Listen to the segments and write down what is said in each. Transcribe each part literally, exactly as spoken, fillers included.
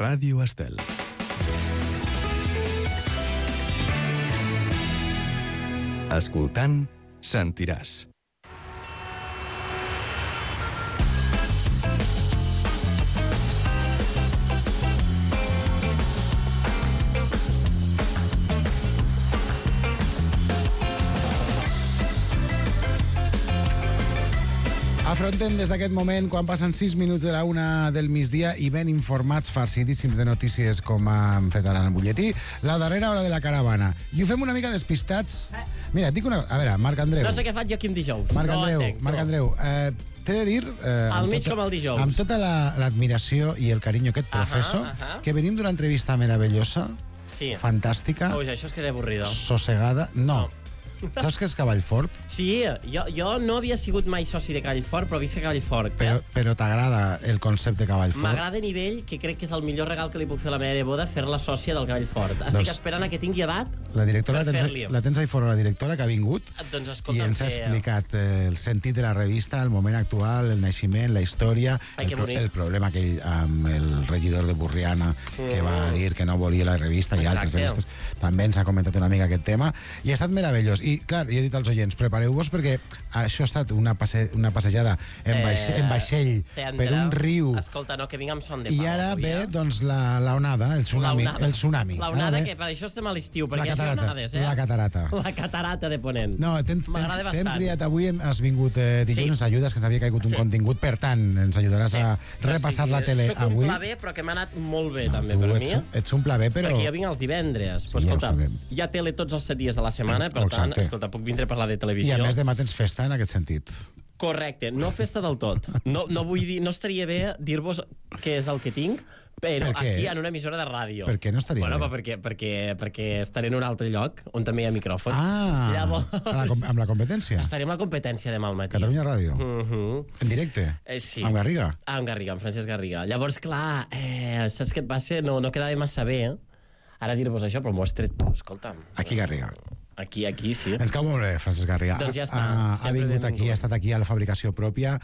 Ràdio Estel. Escoltant, sentiràs. Afrontem des d'aquest moment, quan passen sis minuts de la una del migdia i ben informats, farcidíssims de notícies, com hem fet ara en el butlletí, la darrera hora de la caravana. I ho fem una mica despistats. Mira, et dic una... A veure, Marc Andreu. No sé què faig jo aquí un dijous. Marc no Andreu, entenc, Marc no. Andreu, eh, t'he de dir... Eh, Al mig tota, com el dijous. Amb tota l'admiració la, i el carinyo que et professo, Ahà, ahà. que venim d'una entrevista meravellosa, Sí. fantàstica, Ui, això és que és avorrido. sossegada... No. Saps què és Cavallfort? Sí, jo, jo no havia sigut mai soci de Cavallfort, però visc a Cavallfort. Però, Eh? però t'agrada el concepte Cavallfort? M'agrada a nivell que crec que és el millor regal que li puc fer a la meva boda, fer-la sòcia del Cavallfort. Estic Doncs- esperant a que tingui edat. La directora, Per la tens, fer-li. la tens ahí fora, la directora que ha vingut Doncs i escolta, ens ha que- explicat eh, el sentit de la revista, el moment actual, el naixement, la història, Ai, el, que pro bonic. el problema aquell amb el regidor de Burriana que va dir que no volia la revista i altres Exacte. revistes. També ens ha comentat una mica aquest tema i ha estat meravellós. I, clar, jo he dit als oients, prepareu-vos perquè això ha estat una, passe una passejada en, Eh, vaixell, en vaixell Tendre. per un riu Escolta, no, que vinc amb son de i pau. ara avui, ve eh? doncs, la, la onada, el tsunami. L'onada. El tsunami. L'onada, Ara ve que per això estem a l'estiu, la perquè hi ha catarata. onades, eh? La catarata. La catarata de Ponent. No, t'hem M'agrada t'hem bastant. criat avui, hem- has vingut eh, dilluns, Sí. ens ajudes, que ens havia caigut un Sí. contingut, per tant, ens ajudaràs a repassar la tele Soc avui. un pla B, però que m'ha anat molt bé, No, també, tu per ets, mi. ets un pla B, però... Perquè jo vinc els divendres. Però, Sí, ja ho escolta, sabem. hi ha tele tots els set dies de la setmana, per tant, Exacte. escolta, puc vindre a parlar de I televisió. a més demà tens festa en aquest sentit. Correcte, no festa del tot. No, no vull dir, no estaria bé dir-vos què és el que tinc, però Per què? aquí en una emissora de ràdio. Per què no estaria bueno, bé? Bueno, perquè, perquè, perquè estaré en un altre lloc on també hi ha micròfons. Ah, Llavors, a la, com- amb la competència. estaré amb la competència demà al matí. Catalunya Ràdio. Uh -huh. En directe. Eh, sí. Amb Garriga. Ah, amb Garriga, amb Francesc Garriga. Llavors, clar, eh, saps què et va ser? No, no quedava massa bé, eh? Ara dir-vos això, però m'ho has tret tu, escolta'm. Aquí Garriga. Aquí, aquí, sí. Ens cau molt bé, Francesc Garriga. Doncs ja està, Ha, ha sempre vingut benvingut. aquí, ha estat aquí a la fabricació pròpia.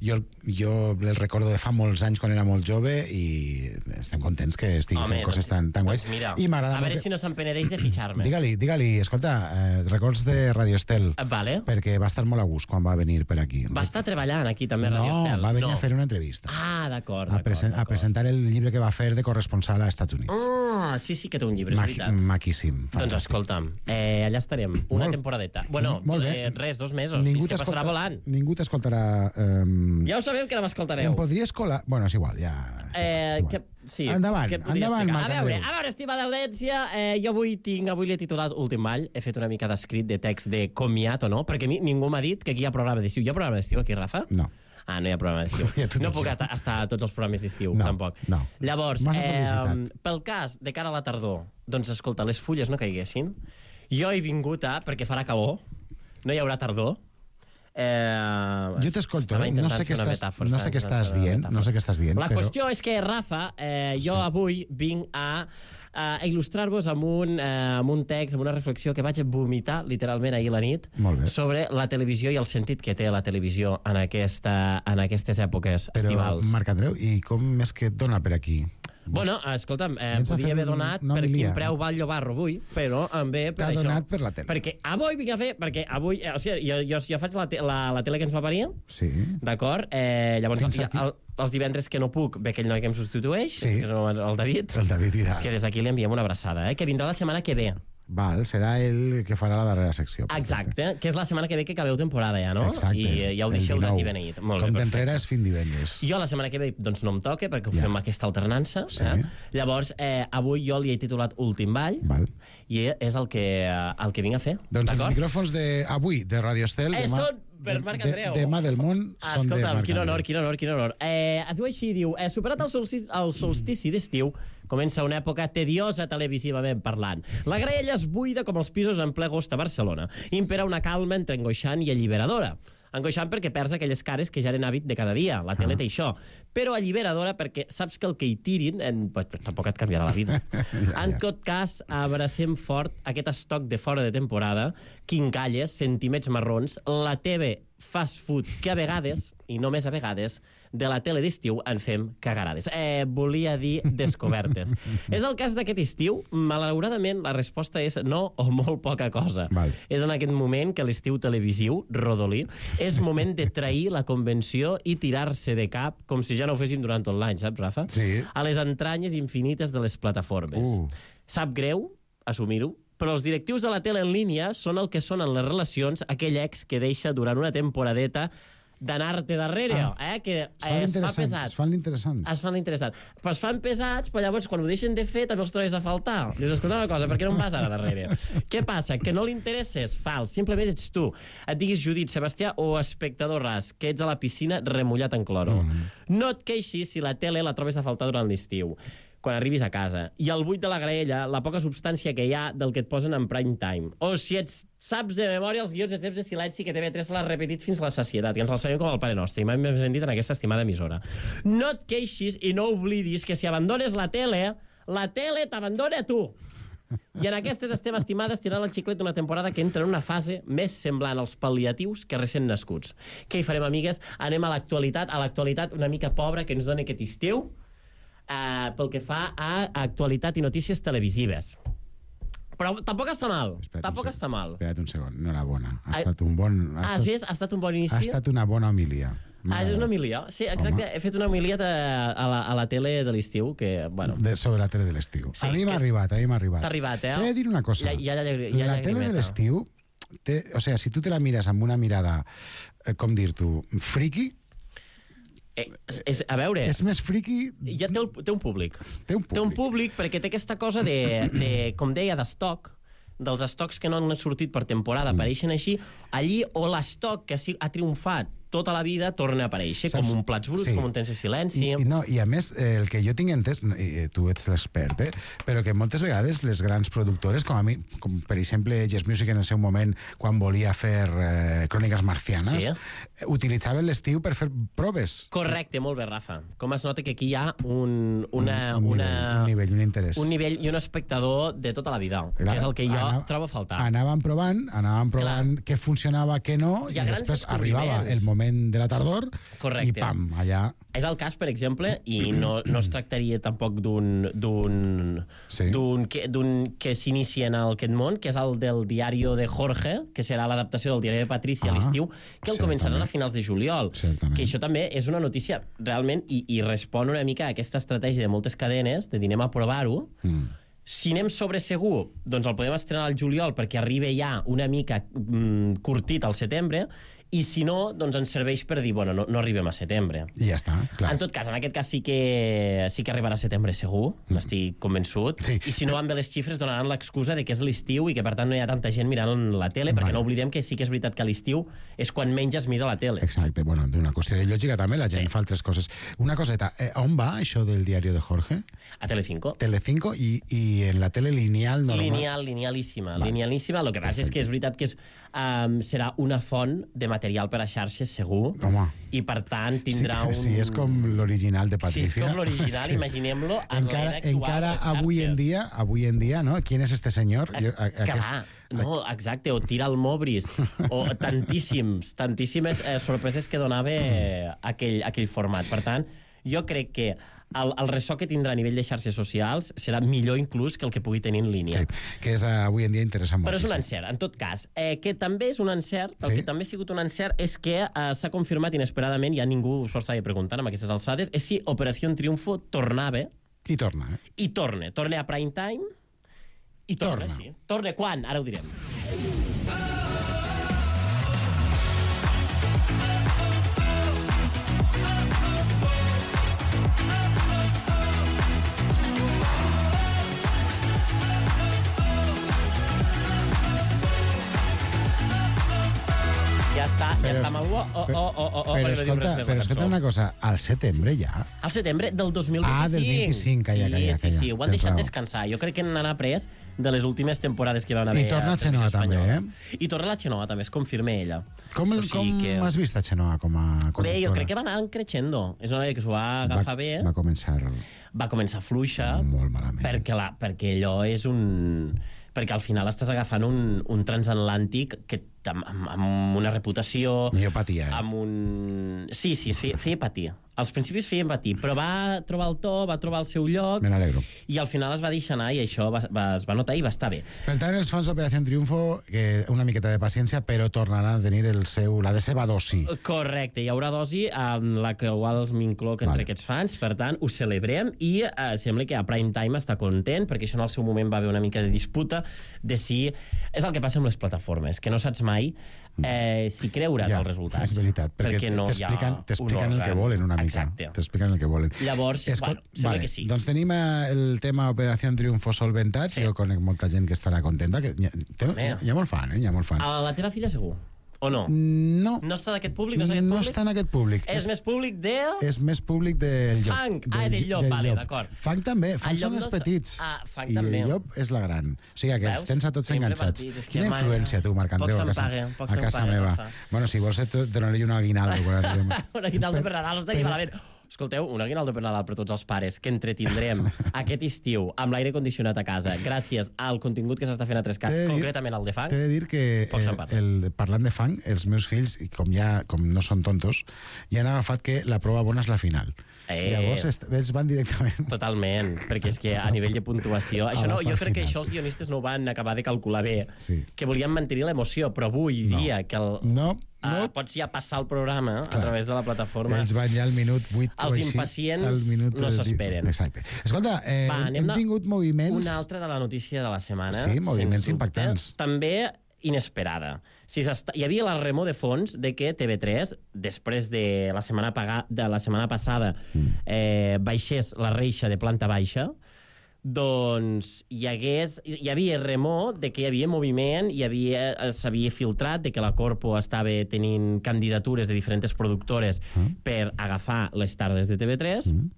Jo, jo el recordo de fa molts anys quan era molt jove i estem contents que estigui Home, fent coses doncs- tan, tan guais. Doncs mira, I m'agrada a veure molt si no s'empenedeix de fitxar-me. Digue-li, digue-li, escolta, eh, records de Radio Estel, Eh, Vale. perquè va estar molt a gust quan va venir per aquí. Va estar treballant aquí també a Radio No, Estel. va venir no. a fer una entrevista. Ah, d'acord, a, d'acord. presen a d'acord. presentar el llibre que va fer de corresponsal a Estats Units. Ah, sí, sí que té un llibre, és Ma veritat. maquíssim. Doncs fantàstic. escolta'm, eh, allà estarem, una Molt- temporadeta. Bueno, molt bé. eh, res, dos mesos, Ningú és que passarà t'escolta- volant. Ningú t'escoltarà... Eh, Ja ho sabeu que no m'escoltareu. Em podries colar... Bueno, és igual, ja... és Eh, igual. que, sí, Endavant, què et podria endavant, explicar? Marc A veure, Andreu. a veure, estimada audiència, eh, jo avui tinc, avui l'he titulat Últim Ball, he fet una mica d'escrit de text de comiat o no, perquè a mi ningú m'ha dit que aquí hi ha programa d'estiu. Hi ha programa d'estiu aquí, Rafa? No. Ah, no hi ha programa d'estiu. Ja t'ho No dic puc jo. ata- estar a tots els programes d'estiu, No, tampoc. no. Llavors, Massa eh, felicitat. pel cas de cara a la tardor, doncs escolta, les fulles no caiguessin, jo he vingut a, perquè farà calor, no hi haurà tardor, Eh, Jo t'escolto, estava eh? no intentant sé què fer una estàs, metàfora, no sé què estava estàs intentant fer una dient, metàfora. no sé què estàs dient, La però... qüestió és que, Rafa, eh, jo sí. avui vinc a, a il·lustrar-vos amb, un, eh, amb un text, amb una reflexió que vaig vomitar literalment ahir a la nit Molt bé. sobre la televisió i el sentit que té la televisió en, aquesta, en aquestes èpoques Però, estivals. Marc Andreu, i com és que et dona per aquí? Bueno, escolta'm, eh, Vens a podia fer haver un- donat una per homilia. quin preu va el llobarro avui, però em ve per T'ha això. donat per la tele. Perquè avui vinc a fer, perquè avui, eh, o sigui, jo, jo, jo faig la, te, la, la tele que ens va parir, Sí. d'acord? Eh, llavors, Fins ja, aquí. el, els divendres que no puc, ve aquell noi que em substitueix, Sí. que és el David, El David Vidal. que des d'aquí li enviem una abraçada, eh, que vindrà la setmana que ve. Val, serà ell que farà la darrera secció. Perfecte. Exacte, que és la setmana que ve que acabeu temporada ja, no? Exacte. I eh, ja ho el deixeu dinou. d'aquí beneït. Molt bé, Com perfecte. t'entrera és fin divendres. Jo la setmana que ve doncs no em toca perquè ho Ja. fem aquesta alternança. Sí. Eh? Llavors, eh, avui jo li he titulat Últim Ball Val. i és el que, eh, el que vinc a fer. Doncs els d'acord? micròfons d'avui de Radio Estel... Eh, demà, són per Marc Andreu. De, demà del món Ah, són de escolta'm, Marc quin honor, Andreu. quin honor, quin honor. Eh, es diu així, diu, eh, superat el solstici, el solstici d'estiu, comença una època tediosa televisivament parlant. La graella es buida com els pisos en ple agost a Barcelona. Impera una calma entre angoixant i alliberadora. Angoixant perquè perds aquelles cares que ja eren hàbit de cada dia. La tele té això. Però alliberadora perquè saps que el que hi tirin en, pues, tampoc et canviarà la vida. Ja, En ja. tot cas, abracem fort aquest estoc de fora de temporada, quincalles, sentiments marrons, la T V fast food que a vegades, i només a vegades, de la tele d'estiu en fem cagarades. Eh, volia dir descobertes. És el cas d'aquest estiu? Malauradament, la resposta és no o molt poca cosa. Val. És en aquest moment que l'estiu televisiu, rodolí, és moment de trair la convenció i tirar-se de cap com si ja no ho féssim durant tot l'any, saps, Rafa? Sí. A les entranyes infinites de les plataformes. Uh. Sap greu assumir-ho, però els directius de la tele en línia són el que són en les relacions aquell ex que deixa durant una temporadeta d'anar-te darrere, ah. eh? que eh, es fa pesat. Es fan l'interessants. Es fan l'interessant. Però es fan pesats, però llavors quan ho deixen de fer també els trobes a faltar. Dius, escolta una cosa, per què no em vas ara darrere? Què passa? Que no li interesses? Fals. Simplement ets tu. Et diguis Judit, Sebastià o espectador ras, que ets a la piscina remullat en cloro. Mm. No et queixis si la tele la trobes a faltar durant l'estiu, quan arribis a casa. I al buit de la graella, la poca substància que hi ha del que et posen en prime time. O si ets, saps de memòria els guions de temps de silenci que T V tres l'ha repetit fins a la sacietat, i ens el sabem com el Pare Nostre, i mai m'hem sentit en aquesta estimada emissora. No et queixis i no oblidis que si abandones la tele, la tele t'abandona a tu. I en aquestes estem estimades tirant el xiclet d'una temporada que entra en una fase més semblant als pal·liatius que recent nascuts. Què hi farem, amigues? Anem a l'actualitat, a l'actualitat una mica pobra que ens dona aquest estiu, Uh, pel que fa a actualitat i notícies televisives. Però tampoc està mal. Espera't tampoc un està mal. Espera't un segon, enhorabona. Ha Ah, estat un bon... Ha Ah, estat, sí, ha estat un bon inici? ha estat una bona homilia. Ah, és una homilia? Sí, exacte. Home. He fet una homilia a, a, la, a la tele de l'estiu, que, bueno... De, sobre la tele de l'estiu. Sí, a mi m'ha que- arribat, a mi m'ha arribat. T'ha arribat, eh? T'he de dir una cosa. Ja- ja- ja- ja- la ja tele de llagrimeta. l'estiu, té, o sea, si tu te la mires amb una mirada, eh, com dir-t'ho, friki, Eh, és, a veure... és més friki... Ja té, el, té un públic. Té un públic. Té un públic perquè té aquesta cosa de, de com deia, d'estoc, dels estocs que no han sortit per temporada, Mm. apareixen així, allí o l'estoc que ha triomfat tota la vida torna a aparèixer, Saps? com un plats bruts, Sí. com un temps de silenci... I, i, no, I a més, eh, el que jo tinc entès, i, eh, tu ets l'expert, eh, però que moltes vegades les grans productores, com a mi, com per exemple Yes Music en el seu moment, quan volia fer eh, cròniques marcianes, Sí. eh, utilitzaven l'estiu per fer proves. Correcte, molt bé, Rafa. Com es nota que aquí hi ha un, una, un, una, nivell, un nivell, un interès. un nivell i un espectador de tota la vida, Era- que és el que jo anava- trobo a faltar. Anàvem provant, anàvem provant què funcionava, què no, Hi i ha grans després descobriments. arribava el moment de la tardor Correcte. i pam, allà... És el cas, per exemple, i no, no es tractaria tampoc d'un d'un Sí. d'un que, d'un que s'inicia en aquest món, que és el del diario de Jorge, que serà l'adaptació del diari de Patricia Ah, a l'estiu, que el començaran certament. a finals de juliol. Certament. Que això també és una notícia realment, i, i respon una mica a aquesta estratègia de moltes cadenes, de dir anem a provar-ho. Mm. Si anem sobre segur, doncs el podem estrenar al juliol perquè arriba ja una mica mm, curtit al setembre, i si no, doncs ens serveix per dir, bueno, no, no arribem a setembre. I ja està, clar. En tot cas, en aquest cas sí que, sí que arribarà a setembre segur, n'estic convençut. Sí. I si no van bé les xifres, donaran l'excusa de que és l'estiu i que, per tant, no hi ha tanta gent mirant la tele, perquè Vale. no oblidem que sí que és veritat que a l'estiu és quan menys es mira la tele. Exacte, bueno, d'una qüestió de lògica també, la gent Sí. fa altres coses. Una coseta, eh, on va això del diario de Jorge? A Telecinco. Telecinco i, i en la tele lineal normal? Lineal, linealíssima. Vale. Linealíssima. El que passa és que és veritat que és, um, serà una font de material per a xarxes, segur. Home. I, per tant, tindrà sí, un... Si és com l'original de Si Patricia. és com l'original, és que imaginem-lo en encara, l'era actual encara de les avui en xarxes. dia, avui en dia, no? ¿Quién es este señor? Jo, a, Clar, no, exacte, o tira el Mobris, o tantíssims, tantíssimes eh, sorpreses que donava eh, aquell, aquell format. Per tant, jo crec que el, el ressò que tindrà a nivell de xarxes socials serà millor inclús que el que pugui tenir en línia. Sí, que és, uh, avui en dia interessant Però és un moltíssim. encert, en tot cas. Eh, que també és un encert, el Sí. que també ha sigut un encert és que eh, s'ha confirmat inesperadament, ja ningú s'ho estava preguntant amb aquestes alçades, és si Operació Triunfo tornava, I torna, eh? i torna. Torna a prime time, i torna, Torna. sí. Torna quan? Ara ho direm. Ja està, ja Però està es- amb algú. Oh, oh, oh, oh, oh, però perquè no diu escolta, res més la però cançó. escolta una cosa, al setembre ja... Al setembre del dos mil vint-i-cinc. Ah, del vint-i-cinc, calla, sí, calla, Sí, calla. sí, ho han Tens deixat raó. descansar. Jo crec que n'han après de les últimes temporades que van haver I torna a Televisió Xenoa també, Espanyola. I torna la Xenoa també, es confirma ella. Com, O o sigui com que- has vist a Xenoa com a conductora? Bé, jo crec que va anar creixendo. És una noia que s'ho va agafar va, bé. Va començar Va començar fluixa. molt malament. Perquè, la, perquè allò és un... Perquè al final estàs agafant un, un transatlàntic que amb, amb una reputació... Millor patia, eh? Amb un... Sí, sí, es feia, feia patir. Als principis feien patir, però va trobar el to, va trobar el seu lloc... Me n'alegro. I al final es va deixar anar i això va, va, es va notar i va estar bé. Per tant, els fans d'Operació Triunfo, que una miqueta de paciència, però tornaran a tenir el seu, la de seva dosi. Correcte, hi haurà dosi en la qual m'incloc entre Vale. aquests fans, per tant, ho celebrem i eh, sembla que a Prime Time està content, perquè això en el seu moment va haver una mica de disputa de si... És el que passa amb les plataformes, que no saps mai eh, si creure't Ja, els resultats. és veritat, perquè, perquè no hi ha t'expliquen t'expliquen un el que òrgan. volen una mica. Exacte. T'expliquen el que volen. Llavors, Escol... bueno, sembla vale. que sí. Doncs tenim eh, el tema Operació Triunfo solventat. Sí. Jo conec molta gent que estarà contenta. Que hi, ha, té, Home. hi ha molt fan, eh? Hi ha molt fan. A la teva filla segur? O no? No. No està d'aquest públic? No és aquest no públic? està en aquest públic. És més públic de... És més públic del llop. Funk. Ah, del llop, vale, d'acord. Funk també. Funk El llop són els no és- petits. Ah, Funk I també. el llop és la gran. O sigui, que els Veus? tens a tots Sempre enganxats. petits, és que Quina mai- influència, tu, Marc Andreu, Poc a se'n casa, paga, poc a se'n casa paga, meva. Rafa. Bueno, si vols, et donaré un aguinaldo. quan arribem. Un aguinaldo per Nadal, està aquí però- malament. Escolteu, un aguinaldo per Nadal per tots els pares que entretindrem aquest estiu amb l'aire condicionat a casa gràcies al contingut que s'està fent a Trescat, T'he de dir- concretament al de fang. T'he de dir que Poc se'n eh, parla. el, parlant de fang, els meus fills, i com ja com no són tontos, ja han agafat que la prova bona és la final. Eh. Llavors est- ells van directament... Totalment, perquè és que a nivell de puntuació... Això la no, jo part crec que final. això els guionistes no ho van acabar de calcular bé, Sí. que volien mantenir l'emoció, però avui No. dia que el, No, ah, no. pots ja passar el programa Clar. a través de la plataforma. Ells van ja al minut vuit o Els així, impacients al minut no del- s'esperen. Exacte. Escolta, eh, Va, anem hem de- tingut moviments... Una altra de la notícia de la setmana. Sí, moviments sens dubte, impactants. També inesperada. Si s'està- hi havia la remor de fons de que T V tres, després de la setmana, paga... de la setmana passada, eh, baixés la reixa de planta baixa, doncs hi hagués, hi havia remor de que hi havia moviment, hi havia, eh, s'havia filtrat de que la Corpo estava tenint candidatures de diferents productores Mm. per agafar les tardes de T V tres, Mm.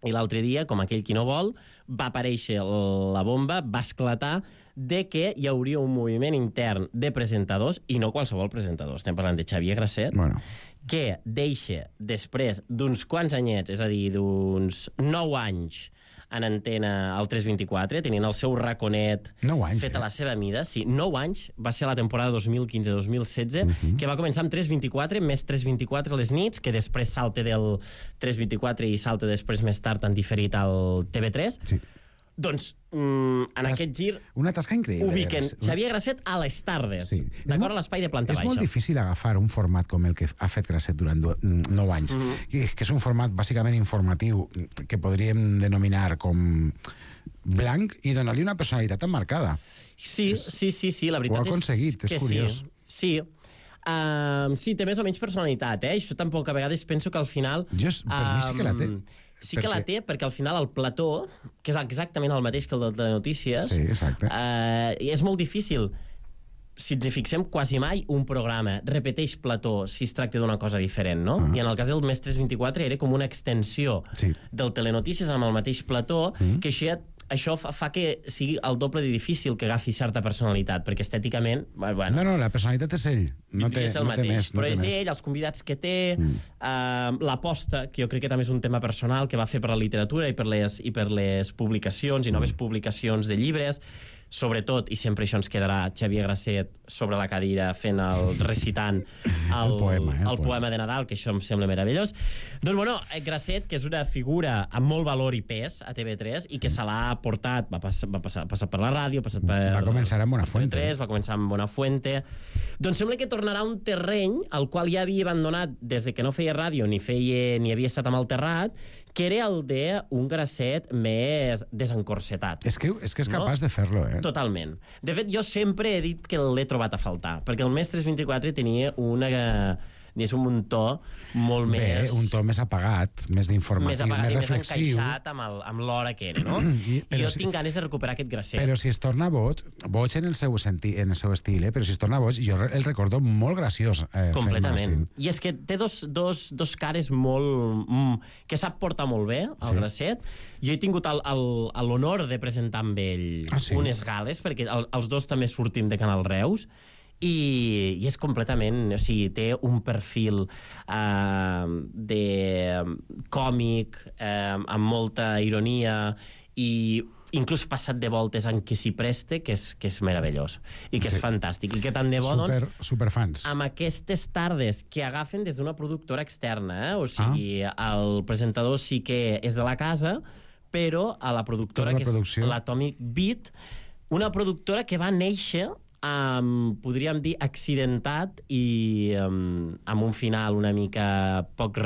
i l'altre dia, com aquell qui no vol, va aparèixer la bomba, va esclatar de que hi hauria un moviment intern de presentadors, i no qualsevol presentador, estem parlant de Xavier Grasset, Bueno, que deixa, després d'uns quants anyets, és a dir, d'uns nou anys en antena al tres vint-i-quatre, tenint el seu raconet nou anys, fet eh? a la seva mida. Sí, nou anys, va ser la temporada dos mil quinze dos mil setze, Mhm. que va començar amb tres vint-i-quatre, més tres vint-i-quatre a les nits, que després salta del tres vint-i-quatre i salta després més tard en diferit al T V tres. Sí. Doncs, mm, en Tas- aquest gir, Una tasca increïble. ubiquen Una- Xavier Grasset a les tardes, Sí. d'acord a l'espai de planta És baixa. molt difícil agafar un format com el que ha fet Grasset durant do- nou anys, Mhm. que, que és un format bàsicament informatiu que podríem denominar com blanc i donar-li una personalitat emmarcada. Sí, sí, sí, sí, la veritat Ho ha aconseguit, és és que curiós. sí. Sí. Um, sí, té més o menys personalitat, eh? Això tampoc a vegades penso que al final... Jo, és- per mi sí que la té. um, Sí que la Perquè- té, perquè al final el plató, que és exactament el mateix que el de notícies, Sí, exacte. uh, és molt difícil. Si ens hi fixem, quasi mai un programa repeteix plató si es tracta d'una cosa diferent, no? Ah. I en el cas del Més tres vint-i-quatre era com una extensió Sí. del Telenotícies amb el mateix plató, Mm. que això, això fa, fa que sigui el doble de difícil que agafi certa personalitat, perquè estèticament, bueno, No, no, la personalitat és ell. No té, és el no té mateix, més. No però té és més. ell, els convidats que té, Mm. uh, l'aposta, que jo crec que també és un tema personal que va fer per la literatura i per les, i per les publicacions i Mm. noves publicacions de llibres, sobretot, i sempre això ens quedarà, Xavier Grasset sobre la cadira fent el recitant el, El poema, eh, el el poema. poema de Nadal, que això em sembla meravellós. Doncs, bueno, Grasset, que és una figura amb molt valor i pes a T V tres i que se l'ha portat, va passar, va passar, ha passat per la ràdio, ha passat per... Va començar amb Buenafuente. T V tres, va començar amb Buenafuente. Doncs sembla que tornarà a un terreny al qual ja havia abandonat des de que no feia ràdio ni feia ni havia estat amb el terrat, que era el d'un Grasset més desencorsetat. És que, és que és No? capaç de fer-lo, eh? Totalment. De fet, jo sempre he dit que l'he trobat a faltar, perquè el Més tres vint-i-quatre tenia una, diguéssim, un to molt Bé, més... un to més apagat, més d'informatiu, més, més, apagat, i més reflexiu. encaixat amb, el, amb l'hora que era, no? I- I, però jo si- tinc ganes de recuperar aquest Grasset. Però si es torna boig, boig en el seu, senti, en el seu estil, eh? Però si es torna boig, jo el recordo molt graciós. Eh, Completament. I és que té dos, dos, dos cares molt... Mm, que sap portar molt bé, el Sí. sí. Grasset. Jo he tingut el- el- l'honor de presentar amb ell Ah, sí? unes gales, perquè el, els dos també sortim de Canal Reus, i, i és completament... O sigui, té un perfil uh, de còmic, uh, amb molta ironia i inclús passat de voltes en què s'hi preste, que és, que és meravellós i que sí. és fantàstic, i que tant de bo, super, doncs, superfans. amb aquestes tardes que agafen des d'una productora externa, eh? O sigui, ah. el presentador sí que és de la casa, però a la productora, la que producció. és l'Atomic Beat, una productora que va néixer Um, podríem dir accidentat i um, amb un final una mica poc,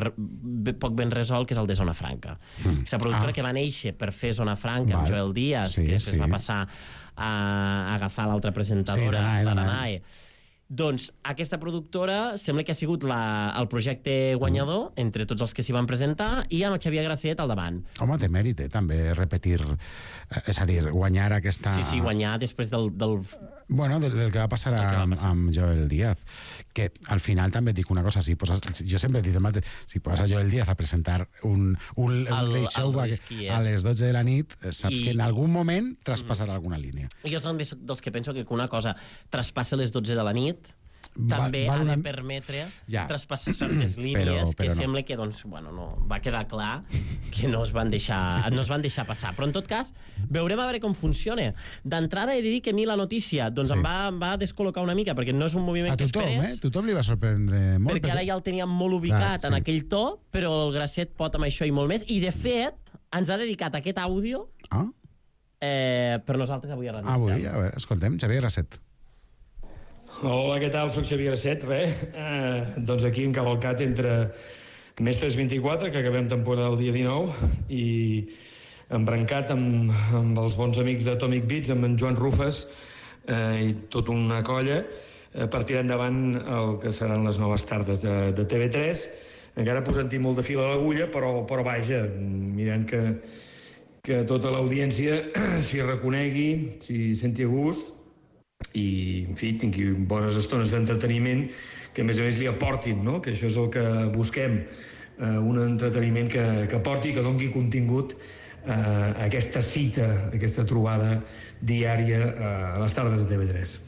poc ben resolt, que és el de Zona Franca. Mm. Aquesta productora ah. que va néixer per fer Zona Franca, vale. amb Joel Díaz, sí, que després sí. va passar a, a agafar l'altra presentadora, sí, la Danae. Doncs aquesta productora sembla que ha sigut la, el projecte guanyador mm. entre tots els que s'hi van presentar, i amb Xavier Gracet al davant. Home, té mèrit, eh, també repetir, és a dir, guanyar aquesta... Sí, sí, guanyar després del... del... Bueno, del, del que va passar, a, va passar amb Joel Díaz, que al final també et dic una cosa, si poses, jo sempre he dit el mateix, si poses a Joel Díaz a presentar un, un, un el, late show a, a les dotze de la nit, saps I... que en algun moment traspassarà mm. alguna línia. Jo també soc dels que penso que una cosa traspassa les dotze de la nit, també va, va ha una... de permetre ja. traspassar certes línies però, però que no. sembla que, doncs, bueno, no, va quedar clar que no es van deixar, no es van deixar passar. Però, en tot cas, veurem a veure com funciona. D'entrada he de dir que a mi la notícia doncs, sí. em, va, em va descol·locar una mica, perquè no és un moviment a que tothom, esperes. Eh? Tothom li va sorprendre molt. Perquè, perquè ara ja el teníem molt ubicat clar, en sí. aquell to, però el Gracet pot amb això i molt més. I, de fet, ens ha dedicat aquest àudio ah? eh, per nosaltres avui a Ràdio. Avui, a veure, escoltem, Xavier Gracet. Hola, què tal? Soc Xavier Gracet, res. Eh, doncs aquí encavalcat entre Mestres vint-i-quatre, que acabem temporada el dia dinou, i embrancat amb, amb els bons amics d'Atomic Beats, amb en Joan Rufes eh, i tota una colla, eh, per tirar endavant el que seran les noves tardes de, de T V tres. Encara posant-hi molt de fil a l'agulla, però, però vaja, mirant que, que tota l'audiència s'hi reconegui, s'hi senti a gust, i, en fi, tingui bones estones d'entreteniment que, a més a més, li aportin, no? Que això és el que busquem, eh, un entreteniment que, que aporti, que doni contingut eh, a aquesta cita, a aquesta trobada diària eh, a les tardes de T V tres.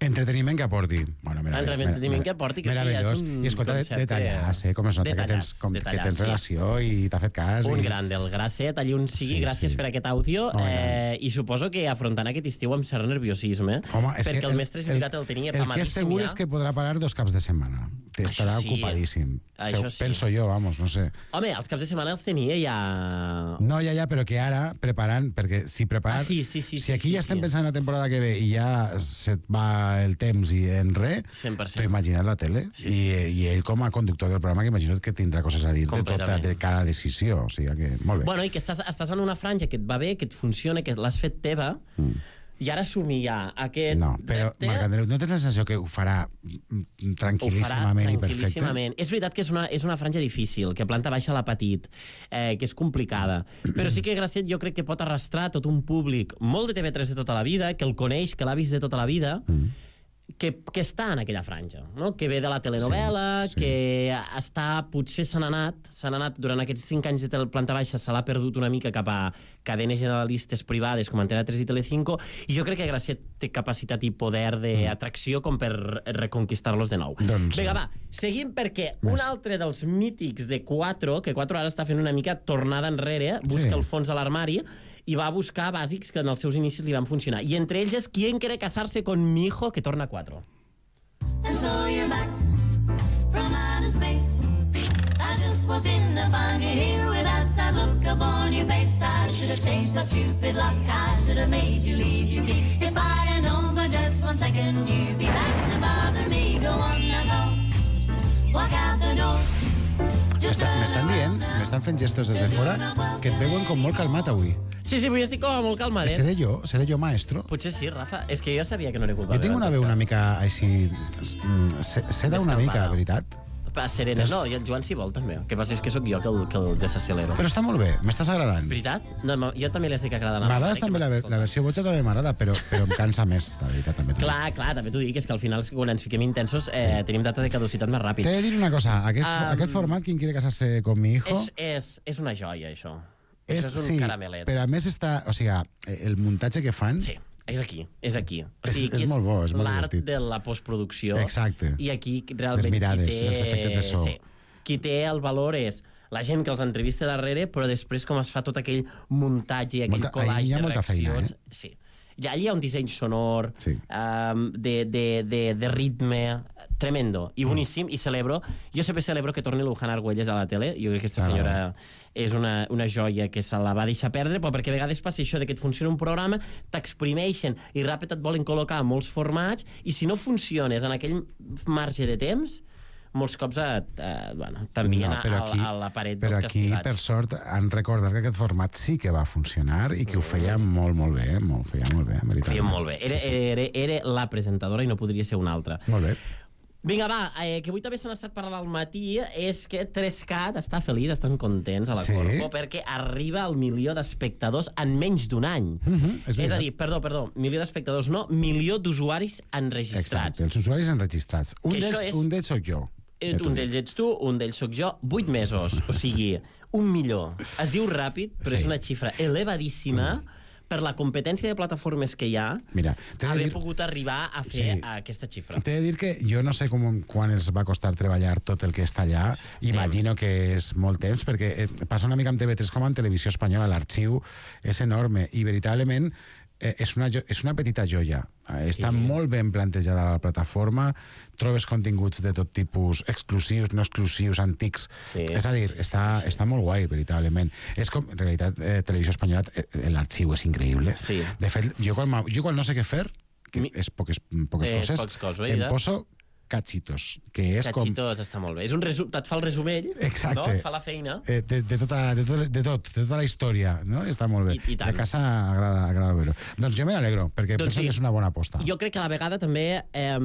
Entreteniment que aporti. Bueno, Entreteniment que aporti, que meravellós. és un I escolta, detallàs, eh? Com es nota que tens, com, que tens relació sí. i t'ha fet cas. Un i... gran del Gracet, allí on sigui, sí, gràcies sí. per aquest àudio. Oh, eh, I suposo que afrontant aquest estiu amb cert nerviosisme, Home, perquè el, el mestre Esbilgat el, el tenia pamadíssim. El que és segur ja. és que podrà parar dos caps de setmana. Estarà sí. ocupadíssim. Això sí. Penso jo, vamos, no sé. Home, els caps de setmana els tenia ja... No, ja, ja, però que ara preparant, perquè si preparar... Ah, sí, sí, sí, si aquí sí, ja sí, estem sí. pensant en la temporada que ve i ja se't va el temps i en res, t'ho imagines la tele. Sí, sí, I, sí. I ell, com a conductor del programa, que imagino que tindrà coses a dir de tota de cada decisió. O sigui que, molt bé. Bueno, i que estàs, estàs en una franja que et va bé, que et funciona, que l'has fet teva, mm. i ara assumir ja aquest... No, però, repte... Marc Andreu, no tens la sensació que ho farà tranquil·líssimament i perfecte? És veritat que és una, és una franja difícil, que planta baixa l'ha patit, eh, que és complicada, però sí que Gracet jo crec que pot arrastrar tot un públic molt de T V tres de tota la vida, que el coneix, que l'ha vist de tota la vida, mm. que, que està en aquella franja, no? Que ve de la telenovel·la, sí, sí. que està, potser se n'ha anat, se n'ha anat durant aquests cinc anys de planta baixa, se l'ha perdut una mica cap a cadenes generalistes privades com Antena tres i Telecinco, i jo crec que Gracet té capacitat i poder d'atracció com per reconquistar-los de nou. Doncs, Vinga, va, seguim perquè més. Un altre dels mítics de Quattro, que Quattro ara està fent una mica tornada enrere, busca sí. el fons de l'armari, i va buscar bàsics que en els seus inicis li van funcionar. I entre ells és Quién quiere casarse con mi hijo, que torna a Quattro. And so you're back from outer space. I just walked in to find you here with that sad look upon your face. I should have changed my stupid luck. I should have made you leave your key. If I'd have known for just one second you'd be back to bother me. Go on now, go. Walk out the door. M'estan dient, m'estan fent gestos des de fora, que et veuen com molt calmat avui. Sí, sí, avui estic com molt calmat, eh? Seré jo? Seré jo maestro? Potser sí, Rafa. És que jo sabia que no era culpa. Jo tinc una veu una mica així... Seda una mica, veritat. Serena, no, i el Joan si vol també. El que passa és que sóc jo que el, que el desaccelero. Però està molt bé, m'estàs agradant. Veritat? No, jo també l'estic agradant. M'agrada també, la, la versió boja també m'agrada, però, però em cansa més, la veritat, també. Clar, clar, també t'ho dic, és que al final, quan ens fiquem intensos, eh, sí. tenim data de caducitat més ràpid. T'he de dir una cosa, aquest, um, aquest format, Quién quiere casarse con mi hijo... És, és, és una joia, això. És, això és un sí, caramelet. Però a més està... O sigui, el muntatge que fan... Sí. És aquí, és aquí. O sigui, és, és, és molt bo, és molt l'art divertit. de la postproducció. Exacte. I aquí realment les mirades, qui té... els efectes de so. Sí, qui té el valor és la gent que els entrevista darrere, però després com es fa tot aquell muntatge i aquell Molta- collage hi ha de molta feina, reaccions. eh? Sí. I allà hi ha un disseny sonor, Sí. um, de, de, de, de ritme, tremendo i boníssim, i celebro, jo sempre celebro que torni l'Ujan Argüelles a la tele. Jo crec que aquesta Ah, senyora vale. és una, una joia que se la va deixar perdre, però perquè a vegades passa això de que et funciona un programa, t'exprimeixen i ràpid et volen col·locar molts formats, i si no funciones en aquell marge de temps, molts cops et, eh, bueno, t'envien No, però a, aquí- a, a la paret Però dels aquí, castigats. per sort, han recordat que aquest format sí que va funcionar i que ho feia molt, molt bé, eh? molt, feia molt bé, Ho veritablement. feien molt bé. Era, Sí, sí. era, era la presentadora i no podria ser una altra. Molt bé. Vinga, va, eh, que avui també s'han estat parlant al matí, és que tres cat està feliç, estan contents a la Sí? Corpo, perquè arriba al milió d'espectadors en menys d'un any. Mhm, és és veritat. a dir, perdó, perdó, milió d'espectadors no, milió d'usuaris enregistrats. Exacte, els usuaris enregistrats. Un Que això d'ells és- un d'ells soc jo. Eh, ja t'ho un dic. d'ells ets tu, un d'ells sóc jo, vuit mesos, o sigui, un milió. Es diu ràpid, però Sí. és una xifra elevadíssima mm. per la competència de plataformes que hi ha, Mira, t'he de haver dir- pogut arribar a fer Sí. aquesta xifra. T'he de dir que jo no sé com, quan els va costar treballar tot el que està allà. Imagino que és molt temps, perquè eh, passa una mica amb T V tres com en Televisió Espanyola. L'arxiu és enorme i, veritablement, eh, és, una, jo- és una petita joia. Eh, està Sí. molt ben plantejada la plataforma, trobes continguts de tot tipus, exclusius, no exclusius, antics. Sí, és a dir, sí, sí, està, sí, sí. està molt guai, veritablement. És com, en realitat, eh, Televisió Espanyola, eh, l'arxiu és increïble. Sí. De fet, jo quan, m'ha- jo quan no sé què fer, que Mi- és poques, poques És coses, pocs cops, em veritat? poso cachitos, que és com... Cachitos està molt bé. És un resum, et fa el resumell, Exacte. no? Et fa la feina. Eh, de, de, tota, de, tot, de tot, de tota la història, no? Està molt bé. I- i tant. De casa agrada, agrada veure-ho. Doncs jo me n'alegro, perquè Doncs penso sí. que és una bona aposta. Jo crec que a la vegada també eh,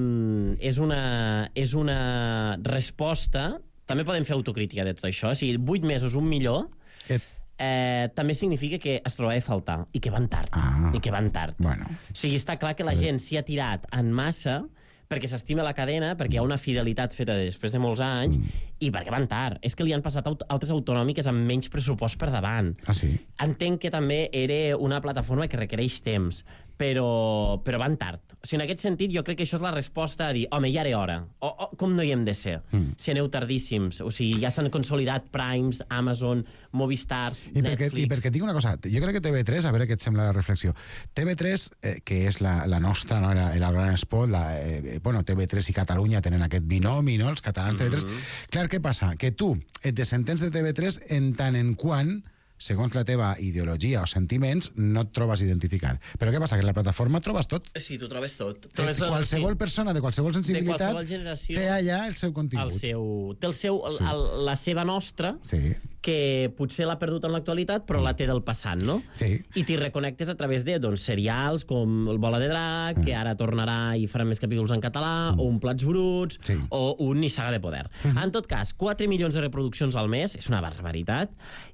és, una, és una resposta... També podem fer autocrítica de tot això. O sigui, vuit mesos, un milió, Et... eh, també significa que es trobava a faltar i que van tard. Ah. I que van tard. Bueno. O sigui, està clar que la gent s'hi ha tirat en massa perquè s'estima la cadena, perquè hi ha una fidelitat feta després de molts anys, mm. i perquè van tard. És que li han passat aut altres autonòmiques amb menys pressupost per davant. Ah, sí? Entenc que també era una plataforma que requereix temps, però, però van tard. O sigui, en aquest sentit, jo crec que això és la resposta a dir, home, ja era hora. O, o com no hi hem de ser? Mm. Si aneu tardíssims. O sigui, ja s'han consolidat Primes, Amazon, Movistars, I perquè, Netflix... I perquè et dic una cosa, jo crec que T V tres, a veure què et sembla la reflexió, T V tres, eh, que és la, la nostra, no, el, el gran spot, la, eh, bueno, T V tres i Catalunya tenen aquest binomi, no?, els catalans mm -hmm. T V tres. Clar, què passa? Que tu et desentens de T V tres en tant en quant, segons la teva ideologia o sentiments, no et trobes identificat. Però què passa? Que en la plataforma trobes tot. Sí, tu trobes tot. Eh, Trobes, qualsevol sí. persona de qualsevol sensibilitat qualsevol generació, té allà el seu contingut. El seu, té el seu, Sí. el, la seva nostra, Sí. que potser l'ha perdut en l'actualitat, però la té del passat, no? Sí. I t'hi reconnectes a través de doncs, serials com El Bola de Drac, que ara tornarà i faran més capítols en català, o un Plats Bruts, Sí. o un Nissaga de Poder. En tot cas, quatre milions de reproduccions al mes, és una barbaritat,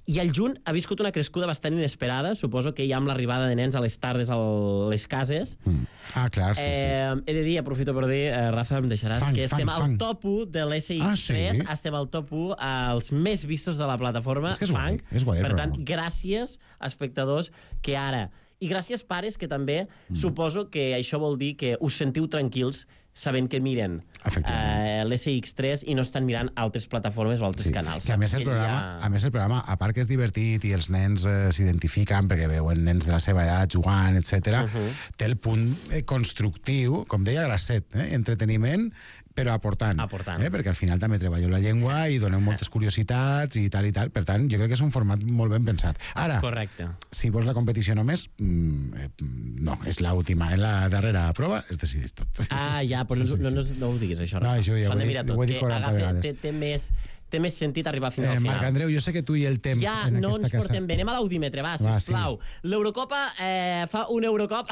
i el juny ha viscut una crescuda bastant inesperada, suposo que ja amb l'arribada de nens a les tardes a les cases. Mm. Ah, clar, sí, sí. Eh, he de dir, aprofito per dir, eh, Rafa, em deixaràs, Fang, que estem fang, al fang. top u de l'S X tres, Ah, sí? estem al top u als més vistos de la plataforma És que és guai, Fang. és guai el Per tant, programa. gràcies a espectadors que ara... I gràcies, pares, que també mm. suposo que això vol dir que us sentiu tranquils sabent que miren eh, l'S X tres i no estan mirant altres plataformes o altres Sí, canals. que a més, el Que programa, ja- a més el programa, a part que és divertit i els nens eh, s'identifiquen perquè veuen nens de la seva edat jugant, etcètera, Uh -huh. té el punt eh, constructiu, com deia Grasset, eh, entreteniment, però aportant. Aportant. Eh, perquè al final també treballeu la llengua i doneu moltes curiositats i tal i tal. Per tant, jo crec que és un format molt ben pensat. Ara, Correcte. si vols la competició només, mm, eh, no, és l'última. En la darrera prova es decideix tot. Ah, ja, però no, Sí, sí, no, no, sí. no ho diguis, això. No, Rafa. això ja S'ho ho han de he mirar dit- tot, ho he dit que quaranta agafa- vegades. Té, té, més, té més sentit arribar fins Eh, al final. Marc Andreu, jo sé que tu i el temps Ja en no aquesta ens casa... portem bé. Anem a l'audímetre, va, Va, sisplau. Sí. L'Eurocopa eh, fa un Eurocop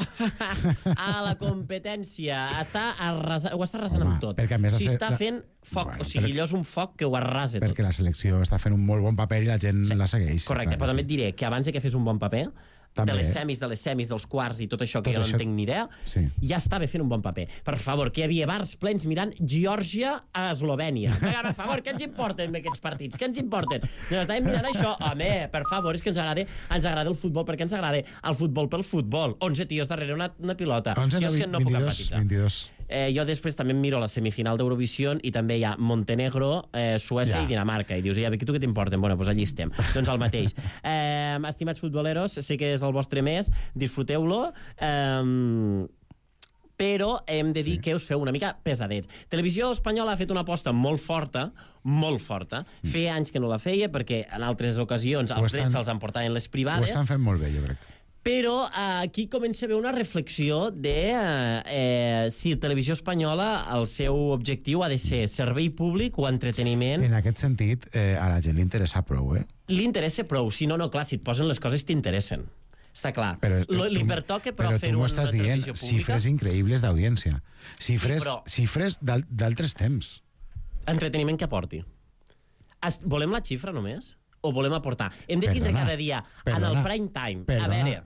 a la competència. Està arrasa... Ho està arrasant Home, amb tot. perquè a més Si la- està la- fent foc, Bueno, o sigui, perquè- allò és un foc que ho arrasa tot. Perquè la selecció està fent un molt bon paper i la gent Sí. la segueix. Correcte, Clar, però també sí. et diré que abans de que fes un bon paper, També. de les semis, de les semis, dels quarts i tot això que Tot jo això- no en tinc ni idea, Sí. ja estava fent un bon paper. Per favor, que hi havia bars plens mirant Geòrgia a Eslovènia. Vinga, per favor, què ens importen aquests partits? Què ens importen? No, estàvem mirant això. Home, per favor, és que ens agrada, ens agrada el futbol, perquè ens agrada el futbol pel futbol. onze tios darrere una, una pilota. onze, jo és que no puc vint-i-dos, empatitzar. vint-i-dos. Eh, jo després també em miro la semifinal d'Eurovisió i també hi ha Montenegro, eh, Suècia Ja. i Dinamarca. I dius, ja, tu què t'importen? Bueno, doncs allí estem. Doncs el mateix. Eh, estimats futboleros, sé que és el vostre mes, disfruteu-lo. Eh, però hem de dir sí. que us feu una mica pesadets. Televisió Espanyola ha fet una aposta molt forta, molt forta. Mm. Feia anys que no la feia, perquè en altres ocasions els estan, drets se'ls emportaven les privades. Ho estan fent molt bé, jo crec. Però eh, aquí comença a haver una reflexió de eh, eh, si Televisió Espanyola el seu objectiu ha de ser servei públic o entreteniment. En aquest sentit, eh, a la gent li interessa prou, eh? Li interessa prou. Si no, no, clar, si et posen les coses t'interessen. Està clar. Però, Lo, tu, li pertoca, però, però fer tu m'ho una estàs dient, televisió pública. xifres increïbles d'audiència. Xifres, Sí, però- xifres d'al- d'altres temps. Entreteniment que aporti. Es, volem la xifra només? O volem aportar? Hem de tindre Perdona, cada dia, perdona, en el prime time, perdona. a veure...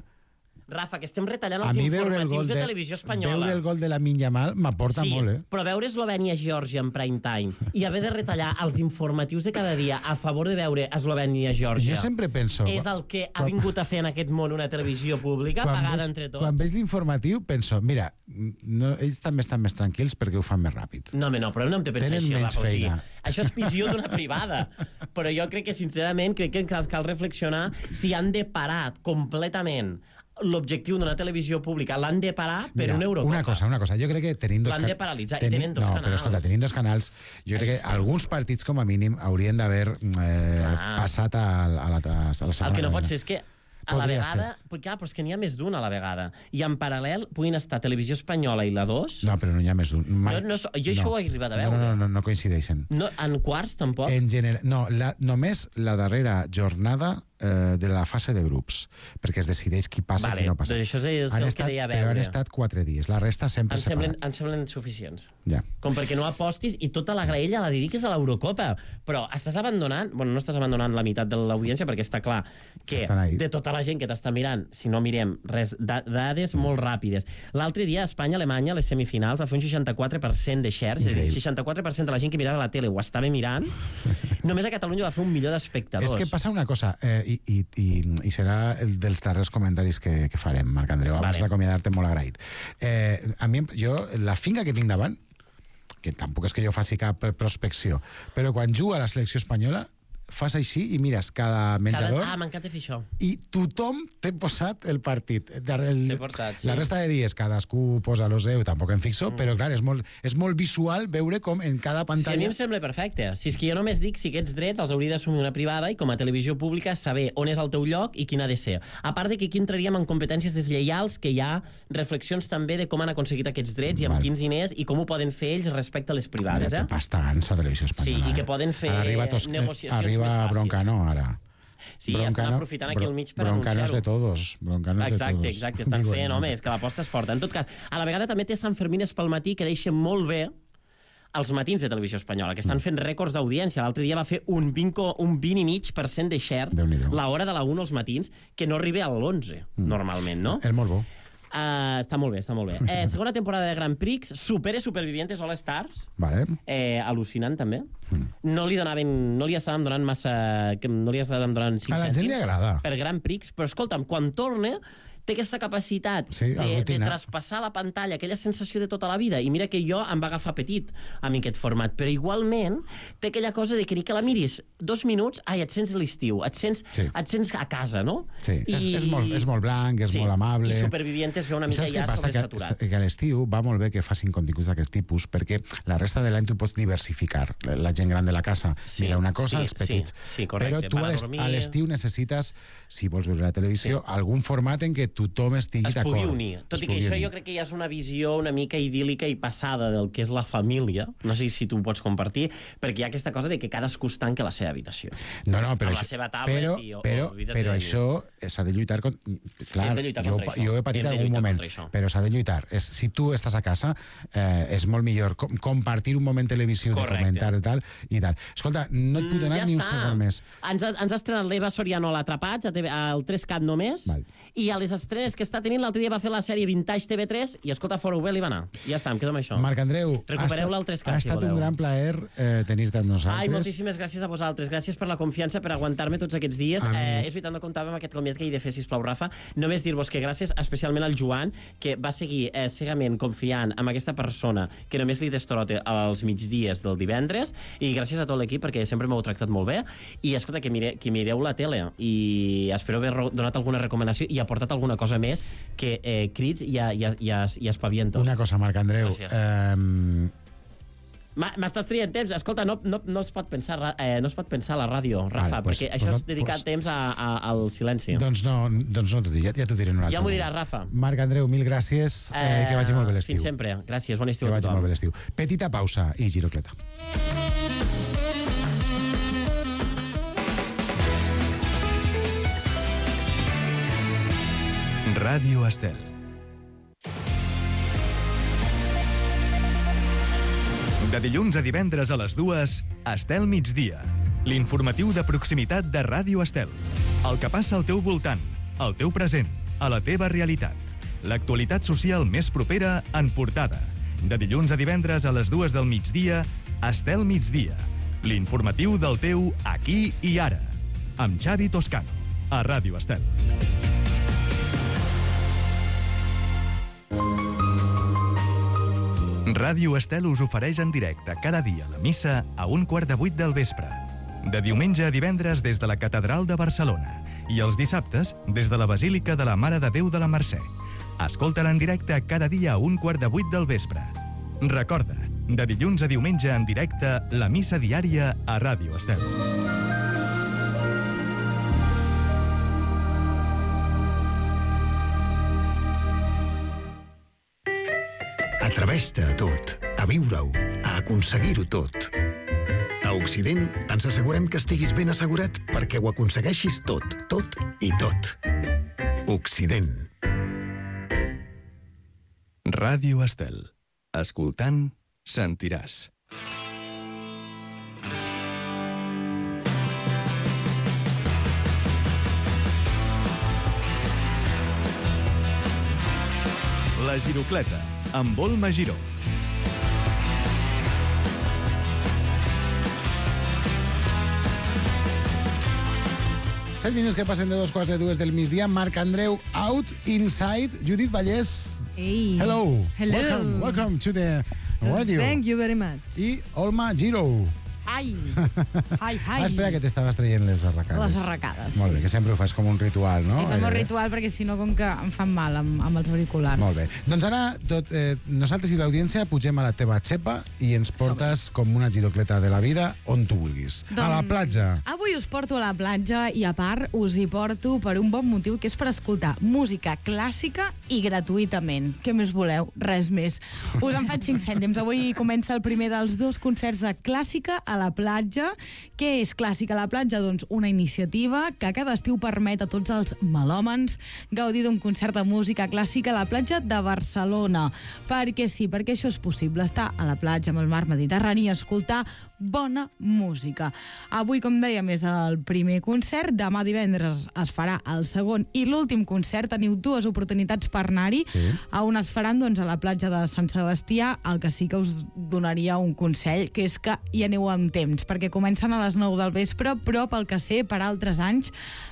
Rafa, que estem retallant A els mi veure el informatius gol de, de, Televisió Espanyola. veure el gol de la Yamal m'aporta Sí, molt, eh? però veure Eslovènia-Geòrgia en prime time i haver de retallar els informatius de cada dia a favor de veure Eslovènia-Geòrgia Jo sempre penso... és el que ha vingut a fer en aquest món una televisió pública pagada veig, entre tots. Quan veig l'informatiu penso, mira, no, ells també estan més tranquils perquè ho fan més ràpid. No, home, no, però no hem de pensar Tenen així, menys Rafa. O sigui, feina. això és visió d'una privada. Però jo crec que, sincerament, crec que cal, cal reflexionar si han de parar completament l'objectiu d'una televisió pública. L'han de parar per Mira, una Eurocopa. Una cosa, una cosa. Jo crec que tenint dos... L'han de paralitzar, i tenen dos no, canals. però escolta, tenint dos canals, jo crec que alguns partits, com a mínim, haurien d'haver eh, passat a, a, la, a la segona El que no pot cadena. ser és que a la Podria vegada... Però, clar, però és que n'hi ha més d'un a la vegada. I en paral·lel puguin estar Televisió Espanyola i la dos... No, però no hi ha més d'un. Mai... No, no, so- jo això ho he arribat a No, veure. no, no, no coincideixen. No, en quarts, tampoc. En general, no, la, només la darrera jornada eh, de la fase de grups, perquè es decideix qui passa Vale, i qui no passa. doncs això és el Han que estat, deia a però han veure. estat quatre dies. La resta sempre Em semblen, separat. em semblen suficients. Ja. Com perquè no apostis i tota la graella la dediques a l'Eurocopa. Però estàs abandonant... Bueno, no estàs abandonant la meitat de l'audiència perquè està clar que Estan ahí. de tota la gent que t'està mirant, si no mirem res, da dades molt ràpides. L'altre dia a Espanya-Alemanya, les semifinals, va fer un seixanta-quatre per cent de shares, és a dir, Increïble. seixanta-quatre per cent de la gent que mirava la tele ho estava mirant. Només a Catalunya va fer un milió d'espectadors. És que passa una cosa, eh, i, i, i, i serà el dels darrers comentaris que, que farem, Marc Andreu, abans Vale. d'acomiadar-te molt agraït. Eh, a mi, jo, la finca que tinc davant, que tampoc és que jo faci cap prospecció, però quan jugo a la selecció espanyola, fas així i mires cada menjador Cada... Ah, m'encanta fer això. i tothom té posat el partit. El, T'he portat, sí. La resta de dies cadascú posa lo seu, tampoc em fixo, mm. però clar, és molt, és molt visual veure com en cada Si a pantalla... mi em sembla perfecte. Si és que jo només dic si aquests drets els hauria d'assumir una privada i com a televisió pública saber on és el teu lloc i quin ha de ser. A part de que aquí entraríem en competències deslleials, que hi ha reflexions també de com han aconseguit aquests drets i amb Val. quins diners i com ho poden fer ells respecte a les privades. Mira, Eh? té pasta gansa a Televisió Espanyola. Sí, i que eh? poden fer Ara arriba tos... negociacions arriba més fàcils. Broncano, ara. Sí, ja estan aprofitant aquí al mig per Broncanos anunciar-ho. de todos. Broncanos Exacte, de todos. exacte, estan Digo, fent, no. home, és que l'aposta és forta. En tot cas, a la vegada també té Sant Fermines pel matí que deixen molt bé els matins de Televisió Espanyola, que estan fent rècords d'audiència. L'altre dia va fer un vint, un vint i mig per cent de share Déu-n'hi-do. l'hora de la una als matins, que no arriba a l'onze, mm. normalment, no? És molt bo. Uh, està molt bé, està molt bé. Eh, segona temporada de Grand Prix, supera Supervivientes All Stars, Vale. eh, al·lucinant també. No li donaven, no li estàvem donant massa, que no li estàvem donant cinc A la gent cèntims li agrada. per Grand Prix, però escolta'm, quan torna té aquesta capacitat Sí, de, de aglutina. traspassar la pantalla, aquella sensació de tota la vida. I mira que jo em va agafar petit amb aquest format, però igualment té aquella cosa de que ni que la miris dos minuts, ai, et sents a l'estiu, et, sents, Sí. et sents a casa, no? Sí, és, és, molt, és molt blanc, és Sí, molt amable. i Supervivientes ve una I mica saps què ja passa? Que, sobresaturat. que a l'estiu va molt bé que facin continguts d'aquest tipus, perquè la resta de l'any tu pots diversificar. La gent gran de la casa Sí, mira una cosa, sí, els petits. sí, sí, correcte. Però tu Van a a l'est- dormir. a l'estiu necessites, si vols veure la televisió, algun format en què tothom estigui es d'acord. pugui unir. Tot Es i que pugui això unir. jo crec que ja és una visió una mica idíl·lica i passada del que és la família. No sé si tu ho pots compartir, perquè hi ha aquesta cosa de que cadascú es tanca a la seva habitació. No, no, però, amb la això, seva tablet però, i- o- però, olvida't però de- això s'ha de lluitar contra... Clar, Hem de lluitar jo, contra això. jo he patit Hem de algun lluitar moment, contra això. però s'ha de lluitar. És, si tu estàs a casa, eh, és molt millor com, compartir un moment televisiu, Correcte. de comentar i tal, i tal. Escolta, no et puc donar Mm, ja ni un està. segon més. Ens ha, ens ha estrenat l'Eva Soriano a l'Atrapats, a T V al tres cat només, Val. i a les, estrenes que està tenint. L'altre dia va fer la sèrie Vintage T V tres i, escolta, fora-ho bé, li va anar. I ja està, em quedo amb això. Marc Andreu, recupereu-la al tres cat, ha estat si un gran plaer eh, tenir-te amb nosaltres. Ai, moltíssimes gràcies a vosaltres. Gràcies per la confiança, per aguantar-me tots aquests dies. Eh, és veritat, no comptava amb aquest comiat que he de fer, sisplau, Rafa. Només dir-vos que gràcies especialment al Joan, que va seguir eh, cegament confiant en aquesta persona que només li destrote als migdies del divendres, i gràcies a tot l'equip, perquè sempre m'heu tractat molt bé. I, escolta, que, mire, que mireu la tele, i espero haver donat alguna recomanació i aportat alguna cosa més que eh, crits i, a, i, a, i, a, i espavientos. Una cosa, Marc Andreu. Eh, M'estàs trient temps. Escolta, no, no, no, es pot pensar, eh, no es pot pensar a la ràdio, Rafa, vale, pues, perquè això pues, és dedicar pues, temps a, a, al silenci. Doncs no, doncs no t'ho diré, ja, ja t'ho diré en un altre Ja m'ho diràs, Rafa. Marc Andreu, mil gràcies, eh, eh, que vagi molt bé l'estiu. Fins sempre. Gràcies, bon estiu que a tothom. Que vagi molt bé l'estiu. Petita pausa i girocleta. Ràdio Estel. De dilluns a divendres a les dues, Estel migdia. L'informatiu de proximitat de Ràdio Estel. El que passa al teu voltant, al teu present, a la teva realitat. L'actualitat social més propera en portada. De dilluns a divendres a les dues del migdia, Estel migdia. L'informatiu del teu aquí i ara. Amb Xavi Toscano, a Ràdio Estel. Ràdio Estel us ofereix en directe cada dia la missa a un quart de vuit del vespre. De diumenge a divendres des de la Catedral de Barcelona i els dissabtes des de la Basílica de la Mare de Déu de la Mercè. Escolta-la en directe cada dia a un quart de vuit del vespre. Recorda, de dilluns a diumenge en directe la missa diària a Ràdio Estel. Atreveix-te a tot, a viure-ho, a aconseguir-ho tot. A Occident ens assegurem que estiguis ben assegurat perquè ho aconsegueixis tot, tot i tot. Occident. Ràdio Estel. Escoltant, sentiràs. La Girocleta, amb Olma Giró. set minuts que passen de dos quarts de dues del migdia. Marc Andreu, out, inside. Judit Vallès. Hey. Hello. Hello. Welcome, welcome to the radio. Thank you very much. I Olma Giró. Hi. Hi, hi. Ah, espera, que t'estaves traient les arracades. Les arracades, Molt bé, sí. que sempre ho fas com un ritual, no? És el meu Eh, ritual, perquè si no, com que em fan mal amb, amb els auriculars. Molt bé. Doncs ara, tot, eh, nosaltres i l'audiència pugem a la teva xepa i ens portes com una girocleta de la vida on tu vulguis. Doncs, a la platja. Avui us porto a la platja i, a part, us hi porto per un bon motiu, que és per escoltar música clàssica i gratuïtament. Què més voleu? Res més. Us en faig cinc cèntims. Avui comença el primer dels dos concerts de clàssica a la platja. Què és Clàssica a la platja? Doncs una iniciativa que cada estiu permet a tots els melòmens gaudir d'un concert de música clàssica a la platja de Barcelona. Perquè sí, perquè això és possible, estar a la platja amb el mar Mediterrani i escoltar bona música. Avui, com dèiem, és el primer concert. Demà divendres es farà el segon i l'últim concert. Teniu dues oportunitats per anar-hi. Sí. A on es faran? Doncs a la platja de Sant Sebastià. El que sí que us donaria un consell, que és que hi aneu amb temps, perquè comencen a les nou del vespre, però pel que sé, per altres anys,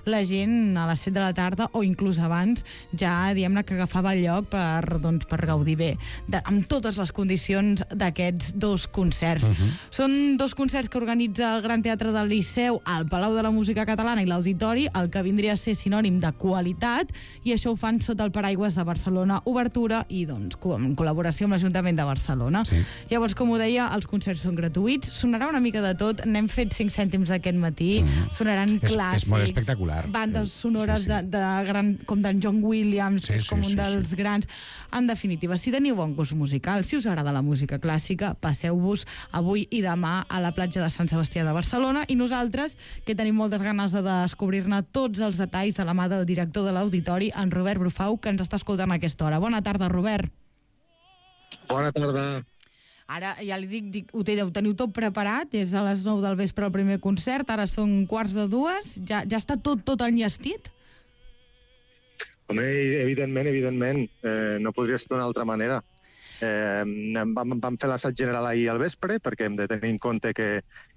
la gent a les set de la tarda, o inclús abans, ja, diguem-ne, que agafava el lloc per, doncs, per gaudir bé, de, amb totes les condicions d'aquests dos concerts. Uh-huh. Són dos concerts que organitza el Gran Teatre del Liceu, el Palau de la Música Catalana i l'Auditori, el que vindria a ser sinònim de qualitat, i això ho fan sota el paraigües de Barcelona Obertura i, doncs, en col·laboració amb l'Ajuntament de Barcelona. Sí. Llavors, com ho deia, els concerts són gratuïts, sonarà una mica de tot, n'hem fet cinc cèntims aquest matí, mm. sonaran és, clàssics. És molt espectacular. Bandes sonores sí, sí. De, de gran, com d'en John Williams, sí, que és com sí, un sí, dels sí. grans. En definitiva, si teniu bon gust musical, si us agrada la música clàssica, passeu-vos avui i demà a la platja de Sant Sebastià de Barcelona, i nosaltres, que tenim moltes ganes de descobrir-ne tots els detalls de la mà del director de l'Auditori, en Robert Brufau, que ens està escoltant a aquesta hora. Bona tarda, Robert. Bona tarda. Ara ja li dic, dic ho teniu, teniu tot preparat, és a les nou del vespre el primer concert, ara són quarts de dues, ja, ja està tot, tot enllestit? Home, evidentment, evidentment, eh, no podria ser d'una altra manera. Eh, vam, vam fer l'assaig general ahir al vespre perquè hem de tenir en compte que,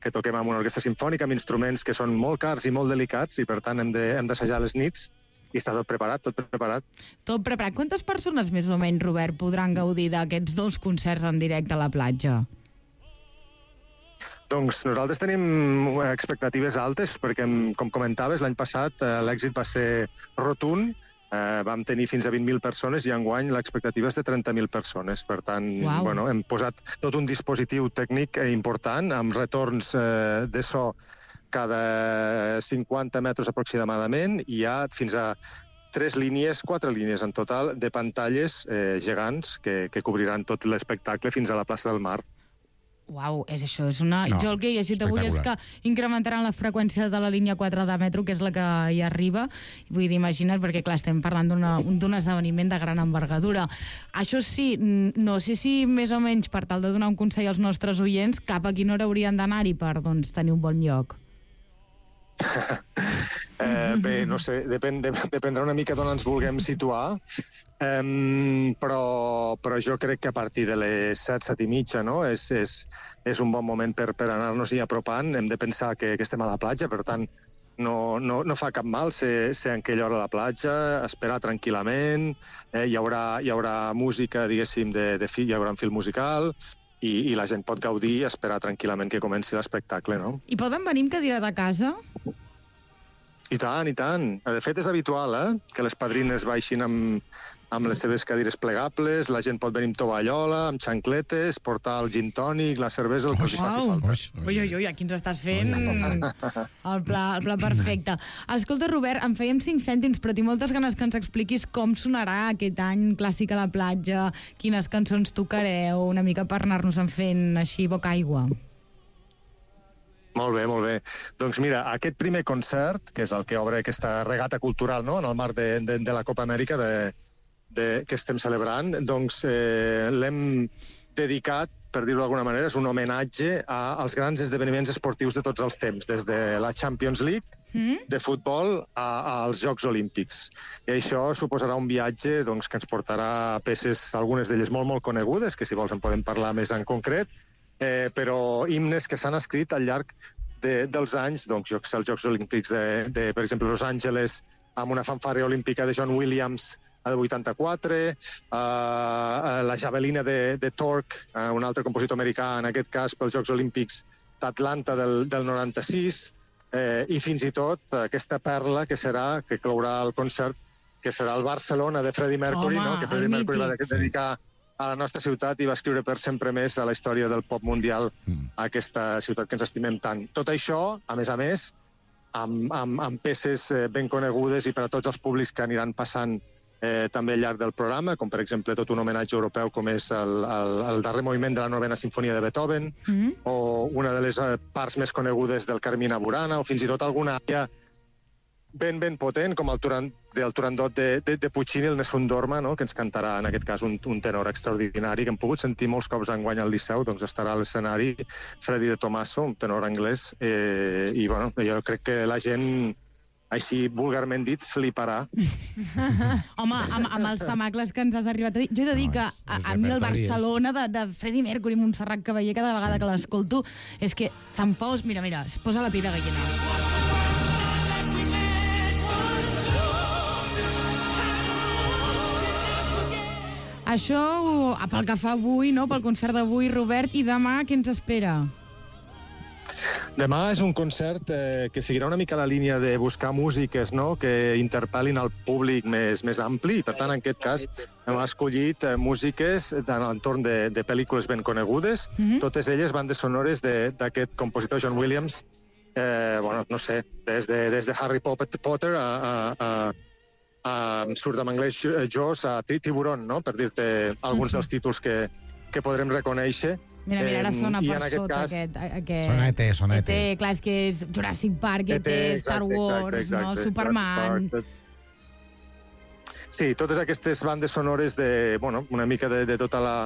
que toquem amb una orquestra simfònica amb instruments que són molt cars i molt delicats i per tant hem de, hem d'assajar les nits i està tot preparat, tot preparat. Tot preparat. Quantes persones més o menys, Robert, podran gaudir d'aquests dos concerts en directe a la platja? Doncs nosaltres tenim expectatives altes perquè, com comentaves, l'any passat eh, l'èxit va ser rotund. Eh, vam tenir fins a vint mil persones i enguany l'expectativa és de trenta mil persones. Per tant, Uau. bueno, hem posat tot un dispositiu tècnic important amb retorns eh, de so cada cinquanta metres aproximadament i hi ha fins a tres línies, quatre línies en total de pantalles eh, gegants que, que cobriran tot l'espectacle fins a la plaça del Mar. Uau, és això, és una... No, jo el que he llegit avui és que incrementaran la freqüència de la línia quatre de metro, que és la que hi arriba. Vull dir, imagina't, perquè clar, estem parlant d'un esdeveniment de gran envergadura. Això sí, no sé si més o menys per tal de donar un consell als nostres oients, cap a quina hora haurien d'anar-hi per doncs, tenir un bon lloc. eh, bé, no sé, depèn, de, dependrà una mica d'on ens vulguem situar, um, però, però jo crec que a partir de les set, set i mitja, no? és, és, és un bon moment per, per anar-nos-hi apropant. Hem de pensar que, que estem a la platja, per tant, no, no, no fa cap mal ser, ser en aquella hora a la platja, esperar tranquil·lament, eh, hi, haurà, hi haurà música, diguéssim, de, de fi, hi haurà un fil musical, i, i la gent pot gaudir i esperar tranquil·lament que comenci l'espectacle, no? I poden venir amb cadira de casa? I tant, i tant. De fet, és habitual, eh?, que les padrines baixin amb, amb les seves cadires plegables, la gent pot venir amb tovallola, amb xancletes, portar el gin tònic, la cervesa, el que els hi faci falta. Ui, ui, ui, aquí ens estàs fent el pla, el pla perfecte. Escolta, Robert, en fèiem cinc cèntims, però tinc moltes ganes que ens expliquis com sonarà aquest any Clàssic a la platja, quines cançons tocareu, una mica per anar-nos-en fent així boca aigua. Molt bé, molt bé. Doncs mira, aquest primer concert, que és el que obre aquesta regata cultural, no?, en el marc de, de, de la Copa Amèrica de, de, que estem celebrant, doncs eh, l'hem dedicat, per dir-ho d'alguna manera, és un homenatge a, als grans esdeveniments esportius de tots els temps, des de la Champions League mm? de futbol a, als Jocs Olímpics. I això suposarà un viatge doncs, que ens portarà a peces, algunes d'elles molt, molt conegudes, que si vols en podem parlar més en concret, Eh, però himnes que s'han escrit al llarg de, dels anys, doncs, jo que sé, els Jocs Olímpics de, de, per exemple, Los Angeles, amb una fanfària olímpica de John Williams a de vuitanta-quatre, eh, la javelina de, de Torque, eh, un altre compositor americà, en aquest cas pels Jocs Olímpics d'Atlanta del, del noranta-sis, eh, i fins i tot aquesta perla que serà, que clourà el concert, que serà el Barcelona de Freddie Mercury, Home, no? Que Freddie Mercury va dedicar a la nostra ciutat i va escriure per sempre més a la història del pop mundial a aquesta ciutat que ens estimem tant. Tot això, a més a més, amb, amb, amb peces ben conegudes i per a tots els públics que aniran passant eh, també al llarg del programa, com per exemple tot un homenatge europeu com és el, el, el darrer moviment de la novena sinfonia de Beethoven, mm-hmm. o una de les parts més conegudes del Carmina Burana, o fins i tot alguna àrea ben, ben potent, com el Turand, del Turandot de, de, de Puccini, el Nessun Dorma, no?, que ens cantarà, en aquest cas, un, un tenor extraordinari, que hem pogut sentir molts cops enguany al Liceu, doncs estarà a l'escenari Freddy de Tomaso, un tenor anglès, eh, i bueno, jo crec que la gent, així vulgarment dit, fliparà. Home, amb, amb els temacles que ens has arribat a dir, jo he de dir no, que a, a mi el Barcelona de, de Freddie Mercury, Montserrat Caballé, cada vegada sí. que l'escolto, és que se'm pos, mira, mira, es posa la pell de gallina. Això pel que fa avui, no? Pel concert d'avui, Robert, i demà què ens espera? Demà és un concert eh, que seguirà una mica la línia de buscar músiques, no?, que interpel·lin al públic més, més ampli. Per tant, en aquest cas, hem escollit eh, músiques de l'entorn de, de pel·lícules ben conegudes. Mm-hmm. Totes elles bandes sonores d'aquest compositor John Williams, eh, bueno, no sé, des de, des de Harry Potter a... a, a Uh, surt en anglès Jaws a Tiburon, no?, per dir-te alguns dels títols que, que podrem reconèixer. Mira, mira, ara sona per aquest sota cas... aquest, aquest... Sona E T, sona E T. E T, clar, és que és Jurassic Park, E T, Star Wars, exacte, exacte, no? Superman... Sí, totes aquestes bandes sonores de, bueno, una mica de, de tota la,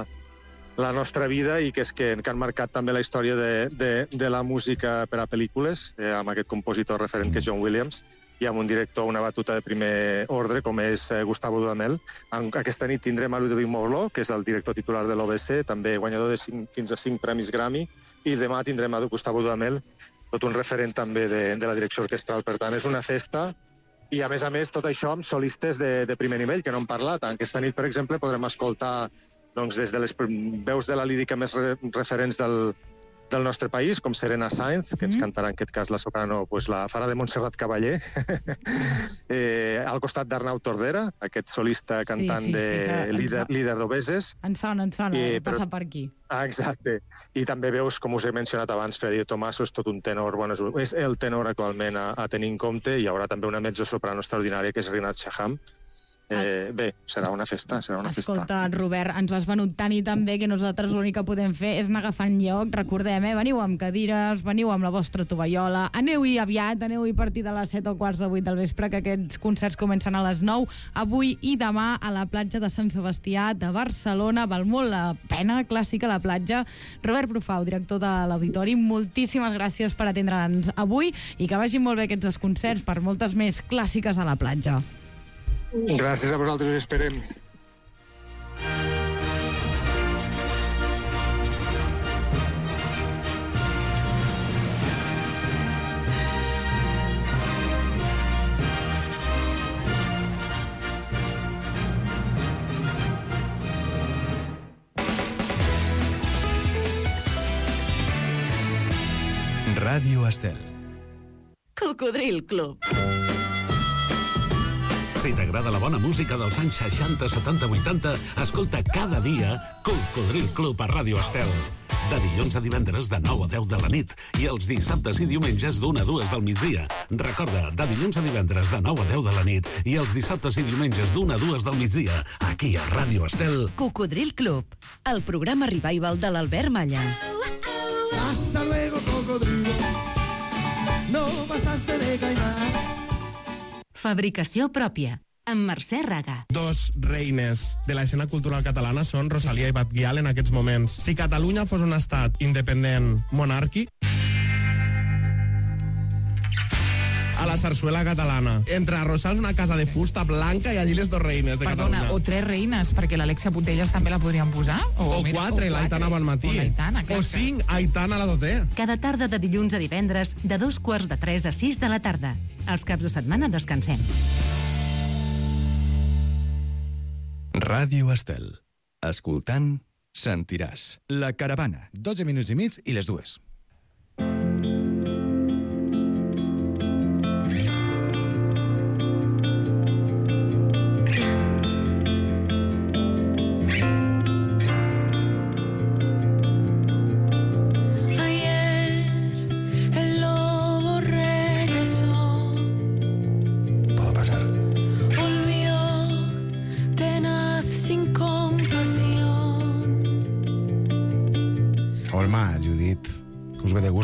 la nostra vida i que, és que, que han marcat també la història de, de, de la música per a pel·lícules, eh, amb aquest compositor referent que és John Williams. i amb un director, una batuta de primer ordre, com és eh, Gustavo Dudamel. Aquesta nit tindrem a Ludovic Morló, que és el director titular de l'O B C, també guanyador de cinc, fins a cinc premis Grammy, i demà tindrem a Gustavo Dudamel, tot un referent també de, de la direcció orquestral. Per tant, és una festa, i a més a més tot això amb solistes de, de primer nivell, que no hem parlat. Aquesta nit, per exemple, podrem escoltar doncs, des de les veus de la lírica més re, referents del, del nostre país, com Serena Sainz, que ens cantarà en aquest cas la soprano, pues, la farà de Montserrat Caballé, eh, al costat d'Arnau Tordera, aquest solista cantant sí, sí, sí, de sí, líder, líder d'Obeses. En sona, en sona, I, però, passa per aquí. Ah, exacte. I també veus, com us he mencionat abans, Freddy Tomaso és tot un tenor, bueno, és el tenor actualment a, a tenir en compte, i hi haurà també una mezzosoprano extraordinària, que és Rinat Shaham. Eh, bé, serà una festa, serà una Escolta, festa. Robert, ens ho has venut tant i tan bé que nosaltres l'únic que podem fer és anar agafant lloc. Recordem, eh? Veniu amb cadires, veniu amb la vostra tovallola, aneu-hi aviat, aneu-hi a partir de les set o quarts de vuit del vespre, que aquests concerts comencen a les nou, avui i demà a la platja de Sant Sebastià de Barcelona. Val molt la pena, clàssica la platja. Robert Brufau, director de l'Auditori, moltíssimes gràcies per atendre'ns avui i que vagin molt bé aquests concerts per moltes més clàssiques a la platja. Gràcies a vosaltres, us esperem. Ràdio Estel. Cocodril Club. Si t'agrada la bona música dels anys seixanta, setanta, vuitanta, escolta cada dia Cocodril Club a Ràdio Estel. De dilluns a divendres de nou a deu de la nit i els dissabtes i diumenges d'una a dues del migdia. Recorda, de dilluns a divendres de nou a deu de la nit i els dissabtes i diumenges d'una a dues del migdia, aquí a Ràdio Estel. Cocodril Club, el programa revival de l'Albert Malla. Hasta luego, cocodrilo. No pasaste de caimán. Fabricació pròpia, amb Mercè Raga. Dos reines de l'escena cultural catalana són Rosalia i Batguial en aquests moments. Si Catalunya fos un estat independent monàrquic, a la sarsuela catalana. Entre arrossars una casa de fusta blanca i allí les dos reines de Perdona, Catalunya. o tres reines, perquè l'Alexia Putellas també la podrien posar. O, o mira, quatre, o l'Aitana Bonmatí. O l'Aitana, clar. O cinc, Aitana la Doté. Cada tarda de dilluns a divendres, de dos quarts de tres a sis de la tarda. Els caps de setmana descansem. Ràdio Estel. Escoltant, sentiràs. La caravana. dotze minuts i mig i les dues.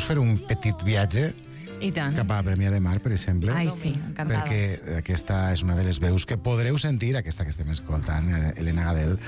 Fer un petit viatge I tant. cap a Premià de Mar, per exemple. Ai, sí, encantades. Perquè aquesta és una de les veus que podreu sentir, aquesta que estem escoltant, Elena Gadel,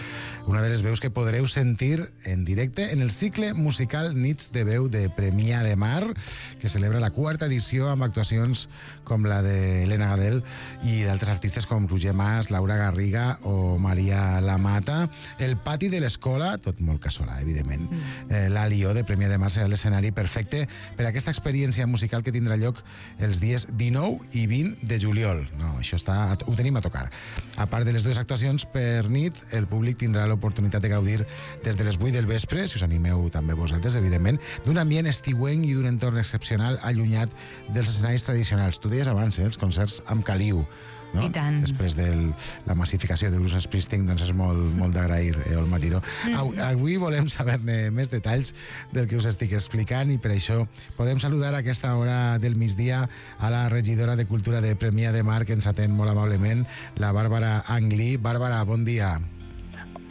una de les veus que podreu sentir en directe en el cicle musical Nits de Veu de Premià de Mar, que celebra la quarta edició amb actuacions com la d'Elena Gadel i d'altres artistes com Roger Mas, Laura Garriga o Maria Lamata. El pati de l'escola, tot molt casolà, evidentment. Mm. Eh, L'Alió de Premià de Mar serà l'escenari perfecte per a aquesta experiència musical que tindrà lloc els dies dinou i vint de juliol. No, això està, ho tenim a tocar. A part de les dues actuacions per nit, el públic tindrà l'oportunitat de gaudir des de les vuit del vespre, si us animeu també vosaltres, evidentment, d'un ambient estiuenc i d'un entorn excepcional allunyat dels escenaris tradicionals. Tu deies abans, eh, els concerts amb caliu, no? I tant. Després de la massificació de Bruce Springsteen, doncs és molt, molt d'agrair, eh, Olma Giró. Mm. Avui volem saber-ne més detalls del que us estic explicant i per això podem saludar a aquesta hora del migdia a la regidora de Cultura de Premià de Mar, que ens atén molt amablement, la Bàrbara Anglí. Bàrbara, bon dia.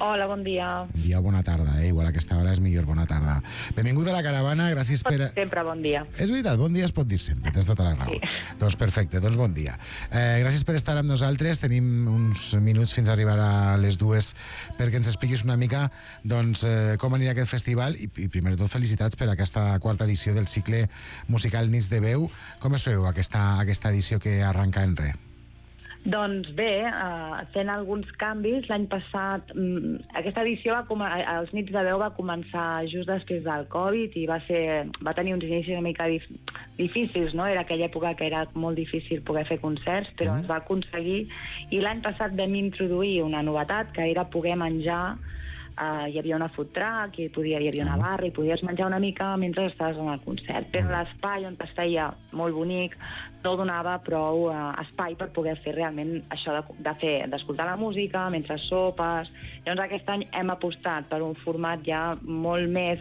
Hola, bon dia. Bon dia o bona tarda, eh? Igual a aquesta hora és millor bona tarda. Benvingut a la caravana, gràcies per... Sempre bon dia. És veritat, bon dia es pot dir sempre, tens tota la raó. Sí. Doncs perfecte, doncs bon dia. Eh, gràcies per estar amb nosaltres, tenim uns minuts fins a arribar a les dues perquè ens expliquis una mica doncs, eh, com anirà aquest festival i, i primer de tot felicitats per aquesta quarta edició del cicle musical Nits de Veu. Com es preveu aquesta, aquesta edició que arranca en res? Doncs bé, eh, fent alguns canvis, l'any passat, mm, aquesta edició, va com els Nits de Veu va començar just després del Covid i va, ser, va tenir uns inicis una mica dif difícils, no? Era aquella època que era molt difícil poder fer concerts, però mm. es va aconseguir, i l'any passat vam introduir una novetat, que era poder menjar. Uh, hi havia una food truck, hi, podia, hi havia una barra i podies menjar una mica mentre estaves en el concert. Però l'espai on es feia molt bonic no donava prou uh, espai per poder fer realment això de, de fer, d'escoltar la música mentre sopes. Llavors aquest any hem apostat per un format ja molt més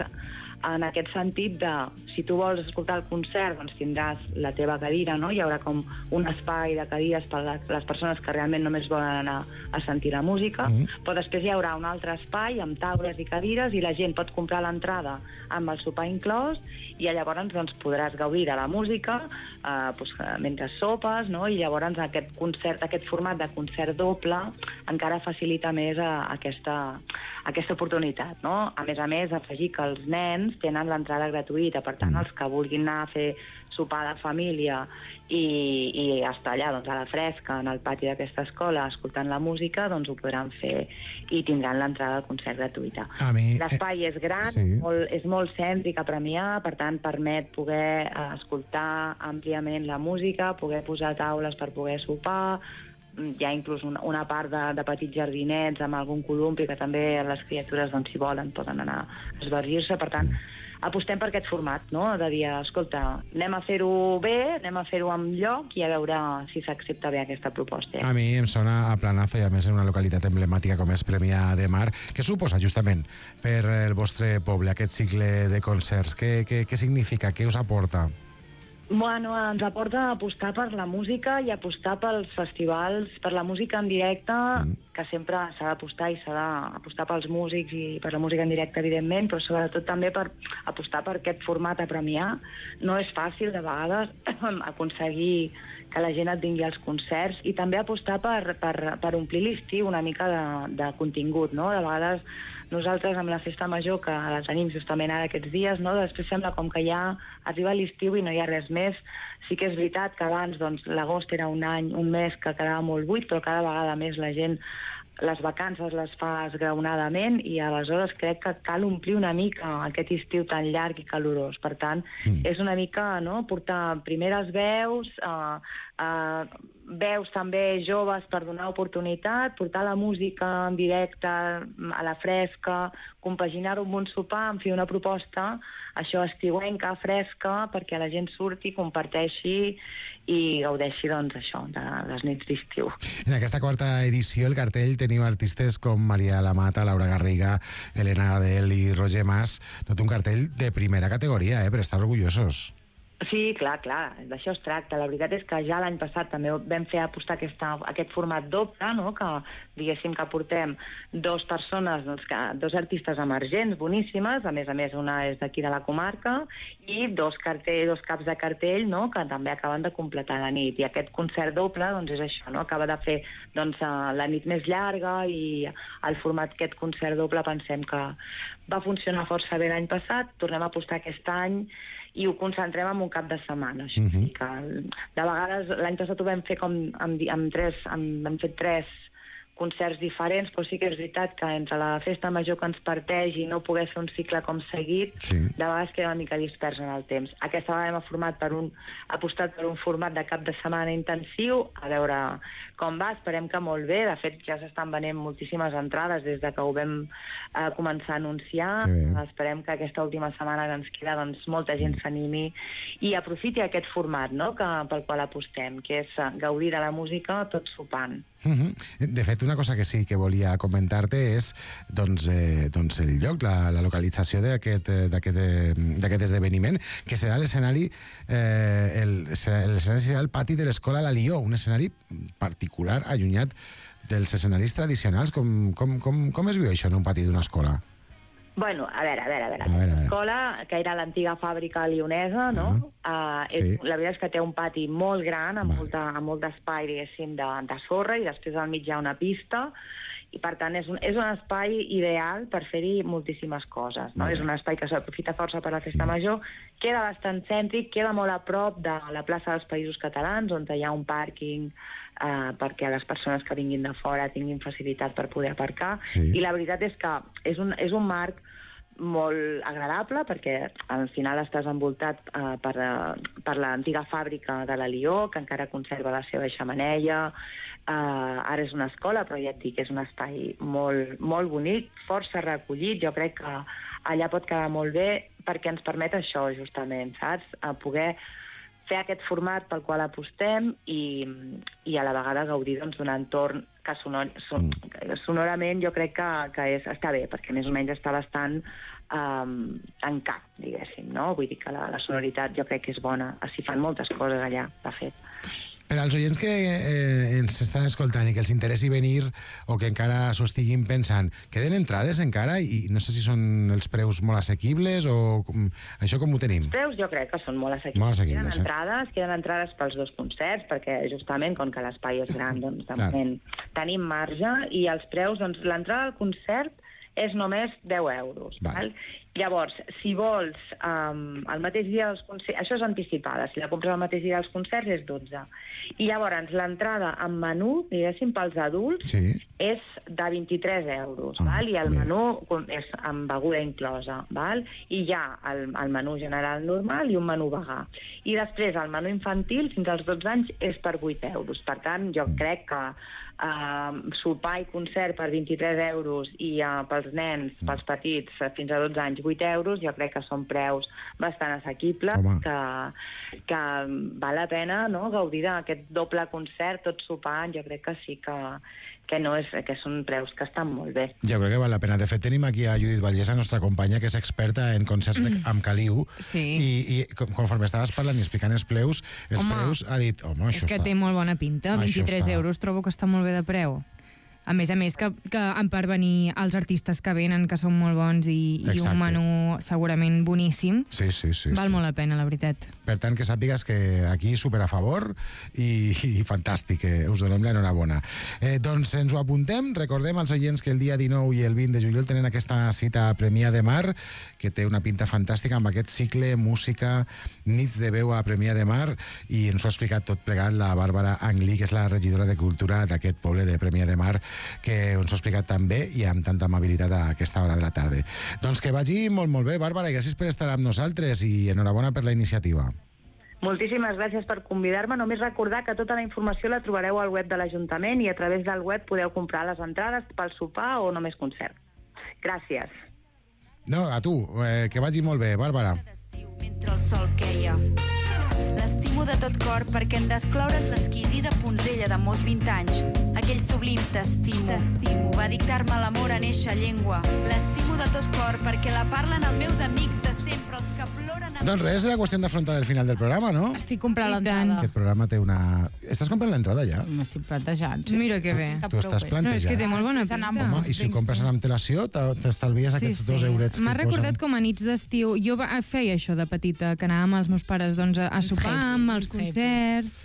en aquest sentit de, si tu vols escoltar el concert, doncs tindràs la teva cadira, no? Hi haurà com un espai de cadires per a les persones que realment només volen anar a sentir la música, mm. però després hi haurà un altre espai amb taules i cadires i la gent pot comprar l'entrada amb el sopar inclòs i llavors doncs, podràs gaudir de la música eh, doncs, mentre sopes, no? I llavors aquest concert, aquest format de concert doble encara facilita més a, a aquesta, a aquesta oportunitat, no? A més a més, afegir que els nens tenen l'entrada gratuïta, per tant, els que vulguin anar a fer sopar de família i, i estar allà doncs, a la fresca, en el pati d'aquesta escola, escoltant la música, doncs ho podran fer i tindran l'entrada al concert gratuïta. L'espai és gran, sí. molt, és molt cèntric a Premià, per tant, permet poder eh, escoltar àmpliament la música, poder posar taules per poder sopar, hi ha inclús una, una part de, de petits jardinets amb algun columpi que també les criatures, doncs, si volen, poden anar a esbargir-se. Per tant, apostem per aquest format, no? De dir, escolta, anem a fer-ho bé, anem a fer-ho amb lloc i a veure si s'accepta bé aquesta proposta. A mi em sona a planazo i a més en una localitat emblemàtica com és Premià de Mar. Què suposa justament per el vostre poble aquest cicle de concerts? Què, què, què significa? Què us aporta? Bueno, ens aporta apostar per la música i apostar pels festivals, per la música en directe, mm. que sempre s'ha d'apostar i s'ha d'apostar pels músics i per la música en directe, evidentment, però sobretot també per apostar per aquest format a Premià. No és fàcil, de vegades, aconseguir que la gent et vingui als concerts i també apostar per, per, per omplir l'estiu una mica de, de contingut, no? De vegades nosaltres amb la festa major, que la tenim justament ara aquests dies, no? Després sembla com que ja arriba l'estiu i no hi ha res més. Sí que és veritat que abans doncs, l'agost era un any, un mes que quedava molt buit, però cada vegada més la gent les vacances les fa esgraonadament i aleshores crec que cal omplir una mica aquest estiu tan llarg i calorós. Per tant, mm. és una mica, no?, portar primeres veus, eh, eh, veus també joves per donar oportunitat, portar la música en directe a la fresca, compaginar-ho amb un sopar, en fi, una proposta, això estiuenca, fresca, perquè la gent surti, comparteixi i gaudeixi, doncs, això, de les nits d'estiu. En aquesta quarta edició, el cartell, teniu artistes com Maria Lamata, Laura Garriga, Elena Gadel i Roger Mas, tot un cartell de primera categoria, eh, per estar orgullosos. Sí, clar, clar, d'això es tracta. La veritat és que ja l'any passat també vam fer apostar aquesta, aquest format doble, no?, que diguéssim que portem dos persones, doncs, que, dos artistes emergents, boníssimes, a més a més una és d'aquí de la comarca, i dos, cartell, dos caps de cartell, no?, que també acaben de completar la nit. I aquest concert doble, doncs, és això, no?, acaba de fer, doncs, la nit més llarga i el format d'aquest concert doble pensem que va funcionar força bé l'any passat, tornem a apostar aquest any i ho concentrem en un cap de setmana. Això. Uh-huh. Que, de vegades, l'any passat ho vam fer com amb, amb tres, amb, vam fer tres concerts diferents, però sí que és veritat que entre la festa major que ens parteix i no poder fer un cicle com seguit, sí. de vegades queda una mica dispers en el temps. Aquesta vegada hem format per un, apostat per un format de cap de setmana intensiu, a veure com va, esperem que molt bé. De fet, ja s'estan venent moltíssimes entrades des de que ho vam eh, començar a anunciar. Esperem que aquesta última setmana que ens queda, doncs, molta gent s'animi i aprofiti aquest format, no?, que, pel qual apostem, que és gaudir de la música tot sopant. Uh-huh. De fet, una cosa que sí que volia comentar-te és doncs, eh, doncs el lloc, la, la localització d'aquest esdeveniment, que serà l'escenari eh, el, l'escenari serà el pati de l'escola La Lió, un escenari particular, allunyat dels escenaris tradicionals. Com, com, com, com es viu això en un pati d'una escola? Bueno, a veure, a veure, a veure. A veure, a veure. L'escola, que era l'antiga fàbrica lionesa, no? Uh, uh, és, sí. La veritat és que té un pati molt gran, amb, molta, amb molt d'espai, diguéssim, de, de sorra, i després al mig hi ha una pista, i per tant és un, és un espai ideal per fer-hi moltíssimes coses, no? És un espai que s'aprofita força per la festa major, queda bastant cèntric, queda molt a prop de la plaça dels Països Catalans, on hi ha un pàrquing eh, perquè les persones que vinguin de fora tinguin facilitat per poder aparcar, sí. I la veritat és que és un, és un marc molt agradable, perquè al final estàs envoltat eh, per, uh, per l'antiga fàbrica de la Lió, que encara conserva la seva xemeneia. Uh, ara és una escola, però ja et dic, és un espai molt, molt bonic, força recollit. Jo crec que allà pot quedar molt bé, perquè ens permet això, justament, saps? A poder fer aquest format pel qual apostem i, i a la vegada gaudir doncs, d'un entorn que sonor, son, sonorament jo crec que, que és, està bé, perquè més o menys està bastant um, en cap, diguéssim, no? Vull dir que la, la sonoritat jo crec que és bona. S'hi fan moltes coses allà, de fet. Per als oients que eh, ens estan escoltant i que els interessi venir o que encara s'ho estiguin pensant, queden entrades encara i no sé si són els preus molt assequibles o com, això com ho tenim? Els preus jo crec que són molt assequibles. Molt assequibles, queden entrades, queden entrades pels dos concerts, perquè justament com que l'espai és gran, doncs de Clar. moment tenim marge, i els preus, doncs l'entrada al concert és només deu euros. Val. Val? Llavors, si vols um, el mateix dia dels concerts, això és anticipada, si la compres el mateix dia dels concerts és dotze. I llavors l'entrada amb menú, diguéssim, pels adults, sí. és de vint-i-tres euros, ah, val? I el bé. menú és amb beguda inclosa, val? I hi ha el, el menú general normal i un menú vegà. I després el menú infantil fins als dotze anys és per vuit euros. Per tant, jo crec que uh, sopar i concert per vint-i-tres euros i uh, pels nens, pels petits, uh, fins a dotze anys, vuit euros, jo crec que són preus bastant assequibles, que, que val la pena, no?, gaudir d'aquest doble concert, tot sopant. Jo crec que sí que, que, no és, que són preus que estan molt bé. Jo crec que val la pena. De fet, tenim aquí a Judit Vallès, la nostra companya, que és experta en concerts de, amb caliu, sí. i, i conforme estaves parlant i explicant els preus, els home, preus ha dit, home, això és que està... té molt bona pinta, vint-i-tres euros trobo que està molt bé de preu. A més a més, que, que per venir els artistes que venen, que són molt bons, i, i un menú segurament boníssim, sí, sí, sí, val sí. molt la pena, la veritat. Per tant, que sàpigues que aquí super a favor i, i fantàstic, que us donem l'enhorabona. Eh, doncs ens ho apuntem, recordem als oients que el dia dinou i el vint de juliol tenen aquesta cita a Premià de Mar, que té una pinta fantàstica amb aquest cicle música, nits de veu a Premià de Mar, i ens ho ha explicat tot plegat la Bàrbara Anglí, que és la regidora de Cultura d'aquest poble de Premià de Mar, que ens ho ha explicat tan bé i amb tanta amabilitat a aquesta hora de la tarda. Doncs que vagi molt, molt bé, Bàrbara, i gràcies per estar amb nosaltres i enhorabona per la iniciativa. Moltíssimes gràcies per convidar-me. Només recordar que tota la informació la trobareu al web de l'Ajuntament i a través del web podeu comprar les entrades pel sopar o només concert. Gràcies. No, a tu, eh, que vagi molt bé, Bàrbara. Mentre el sol queia. L'estimo de tot cor perquè en descloure's l'exquisida punzella de molts vint anys. Aquell sublim t'estimo. T'estimo. Va dictar-me l'amor en eixa llengua. L'estimo de tot cor perquè la parlen els meus amics de sempre, els que ploren... A... Doncs res, era qüestió d'afrontar el final del programa, no? Estic comprant l'entrada. Aquest programa té una... Estàs comprant l'entrada ja? M'estic plantejant. Sí. Mira que bé. Tu estàs plantejant. No, és que té molt bona pinta. Home, i si ho compres en antelació, t'estalvies sí, aquests sí. dos eurets que M'ha recordat com a nits d'estiu. Jo feia això de petita, que anàvem els meus pares doncs, a sopar amb els concerts.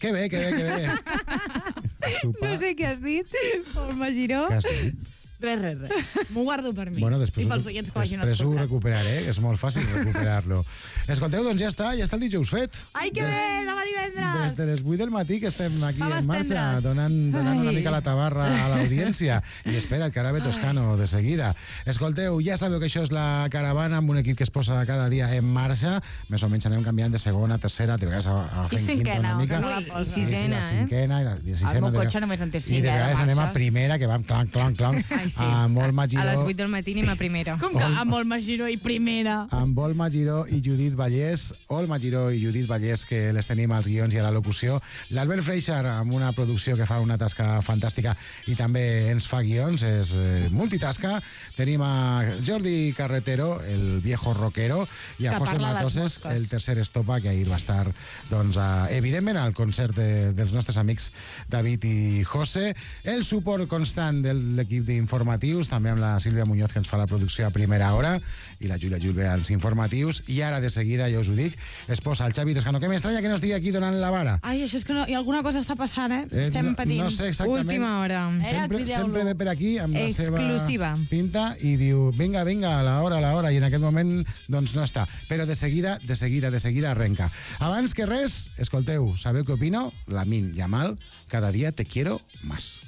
Que bé, que bé, que bé. No sé què has dit, Olma Giró. Què has dit? Res, res, res. M'ho guardo per mi. Bueno, després, I pels oients que vagin després ho escoltant. recuperaré, és molt fàcil recuperar-lo. Escolteu, doncs ja està, ja està el dijous fet. Ai, que bé, demà divendres! Des de les vuit del matí que estem aquí Faves en marxa, tendres. donant, donant una Ai. mica la tabarra a l'audiència. I espera el Carabe Toscano de seguida. Escolteu, ja sabeu que això és la caravana amb un equip que es posa cada dia en marxa. Més o menys anem canviant de segona, tercera, de vegades agafem I quinta cinquena, una mica. que no la posa. I sisena, la cinquena, i la i sisena. El meu de- cotxe només en té I cinc, de eh, de vegades anem a marxes. primera, que vam clanc, clanc, clanc. Ai, sí. amb Olma Giró... A les vuit del matí anem a primera. Com que amb Olma Giró i primera? Amb Olma Giró i Judit Vallès. Olma Giró i Judit Vallès, que les tenim als guions i a la locució. L'Albert Freixar, amb una producció que fa una tasca fantàstica i també ens fa guions, és eh, multitasca. Tenim a Jordi Carretero, el viejo rockero, i a Que José parla les Matoses, mosques. el tercer estopa, que ahir va estar, doncs, a, evidentment, al concert de, dels nostres amics David i José. El suport constant de l'equip d'informatius, també amb la Sílvia Muñoz, que ens fa la producció a primera hora, i la Júlia Julve als informatius. I ara, de seguida, ja us ho dic, es posa el Xavi Toscano, que m'estranya que no estigui aquí donant la vara. Ai, això és que no, i alguna cosa està passant, eh? Eh, Estem no- patint. no sé exactament. Última hora. Sempre, sempre ve per aquí amb la Exclusiva. seva pinta i diu, vinga, vinga, a l'hora, a l'hora, i en aquest moment doncs no està. Però de seguida, de seguida, de seguida arrenca. Abans que res, escolteu, sabeu què opino? Lamin Yamal, cada dia te quiero más.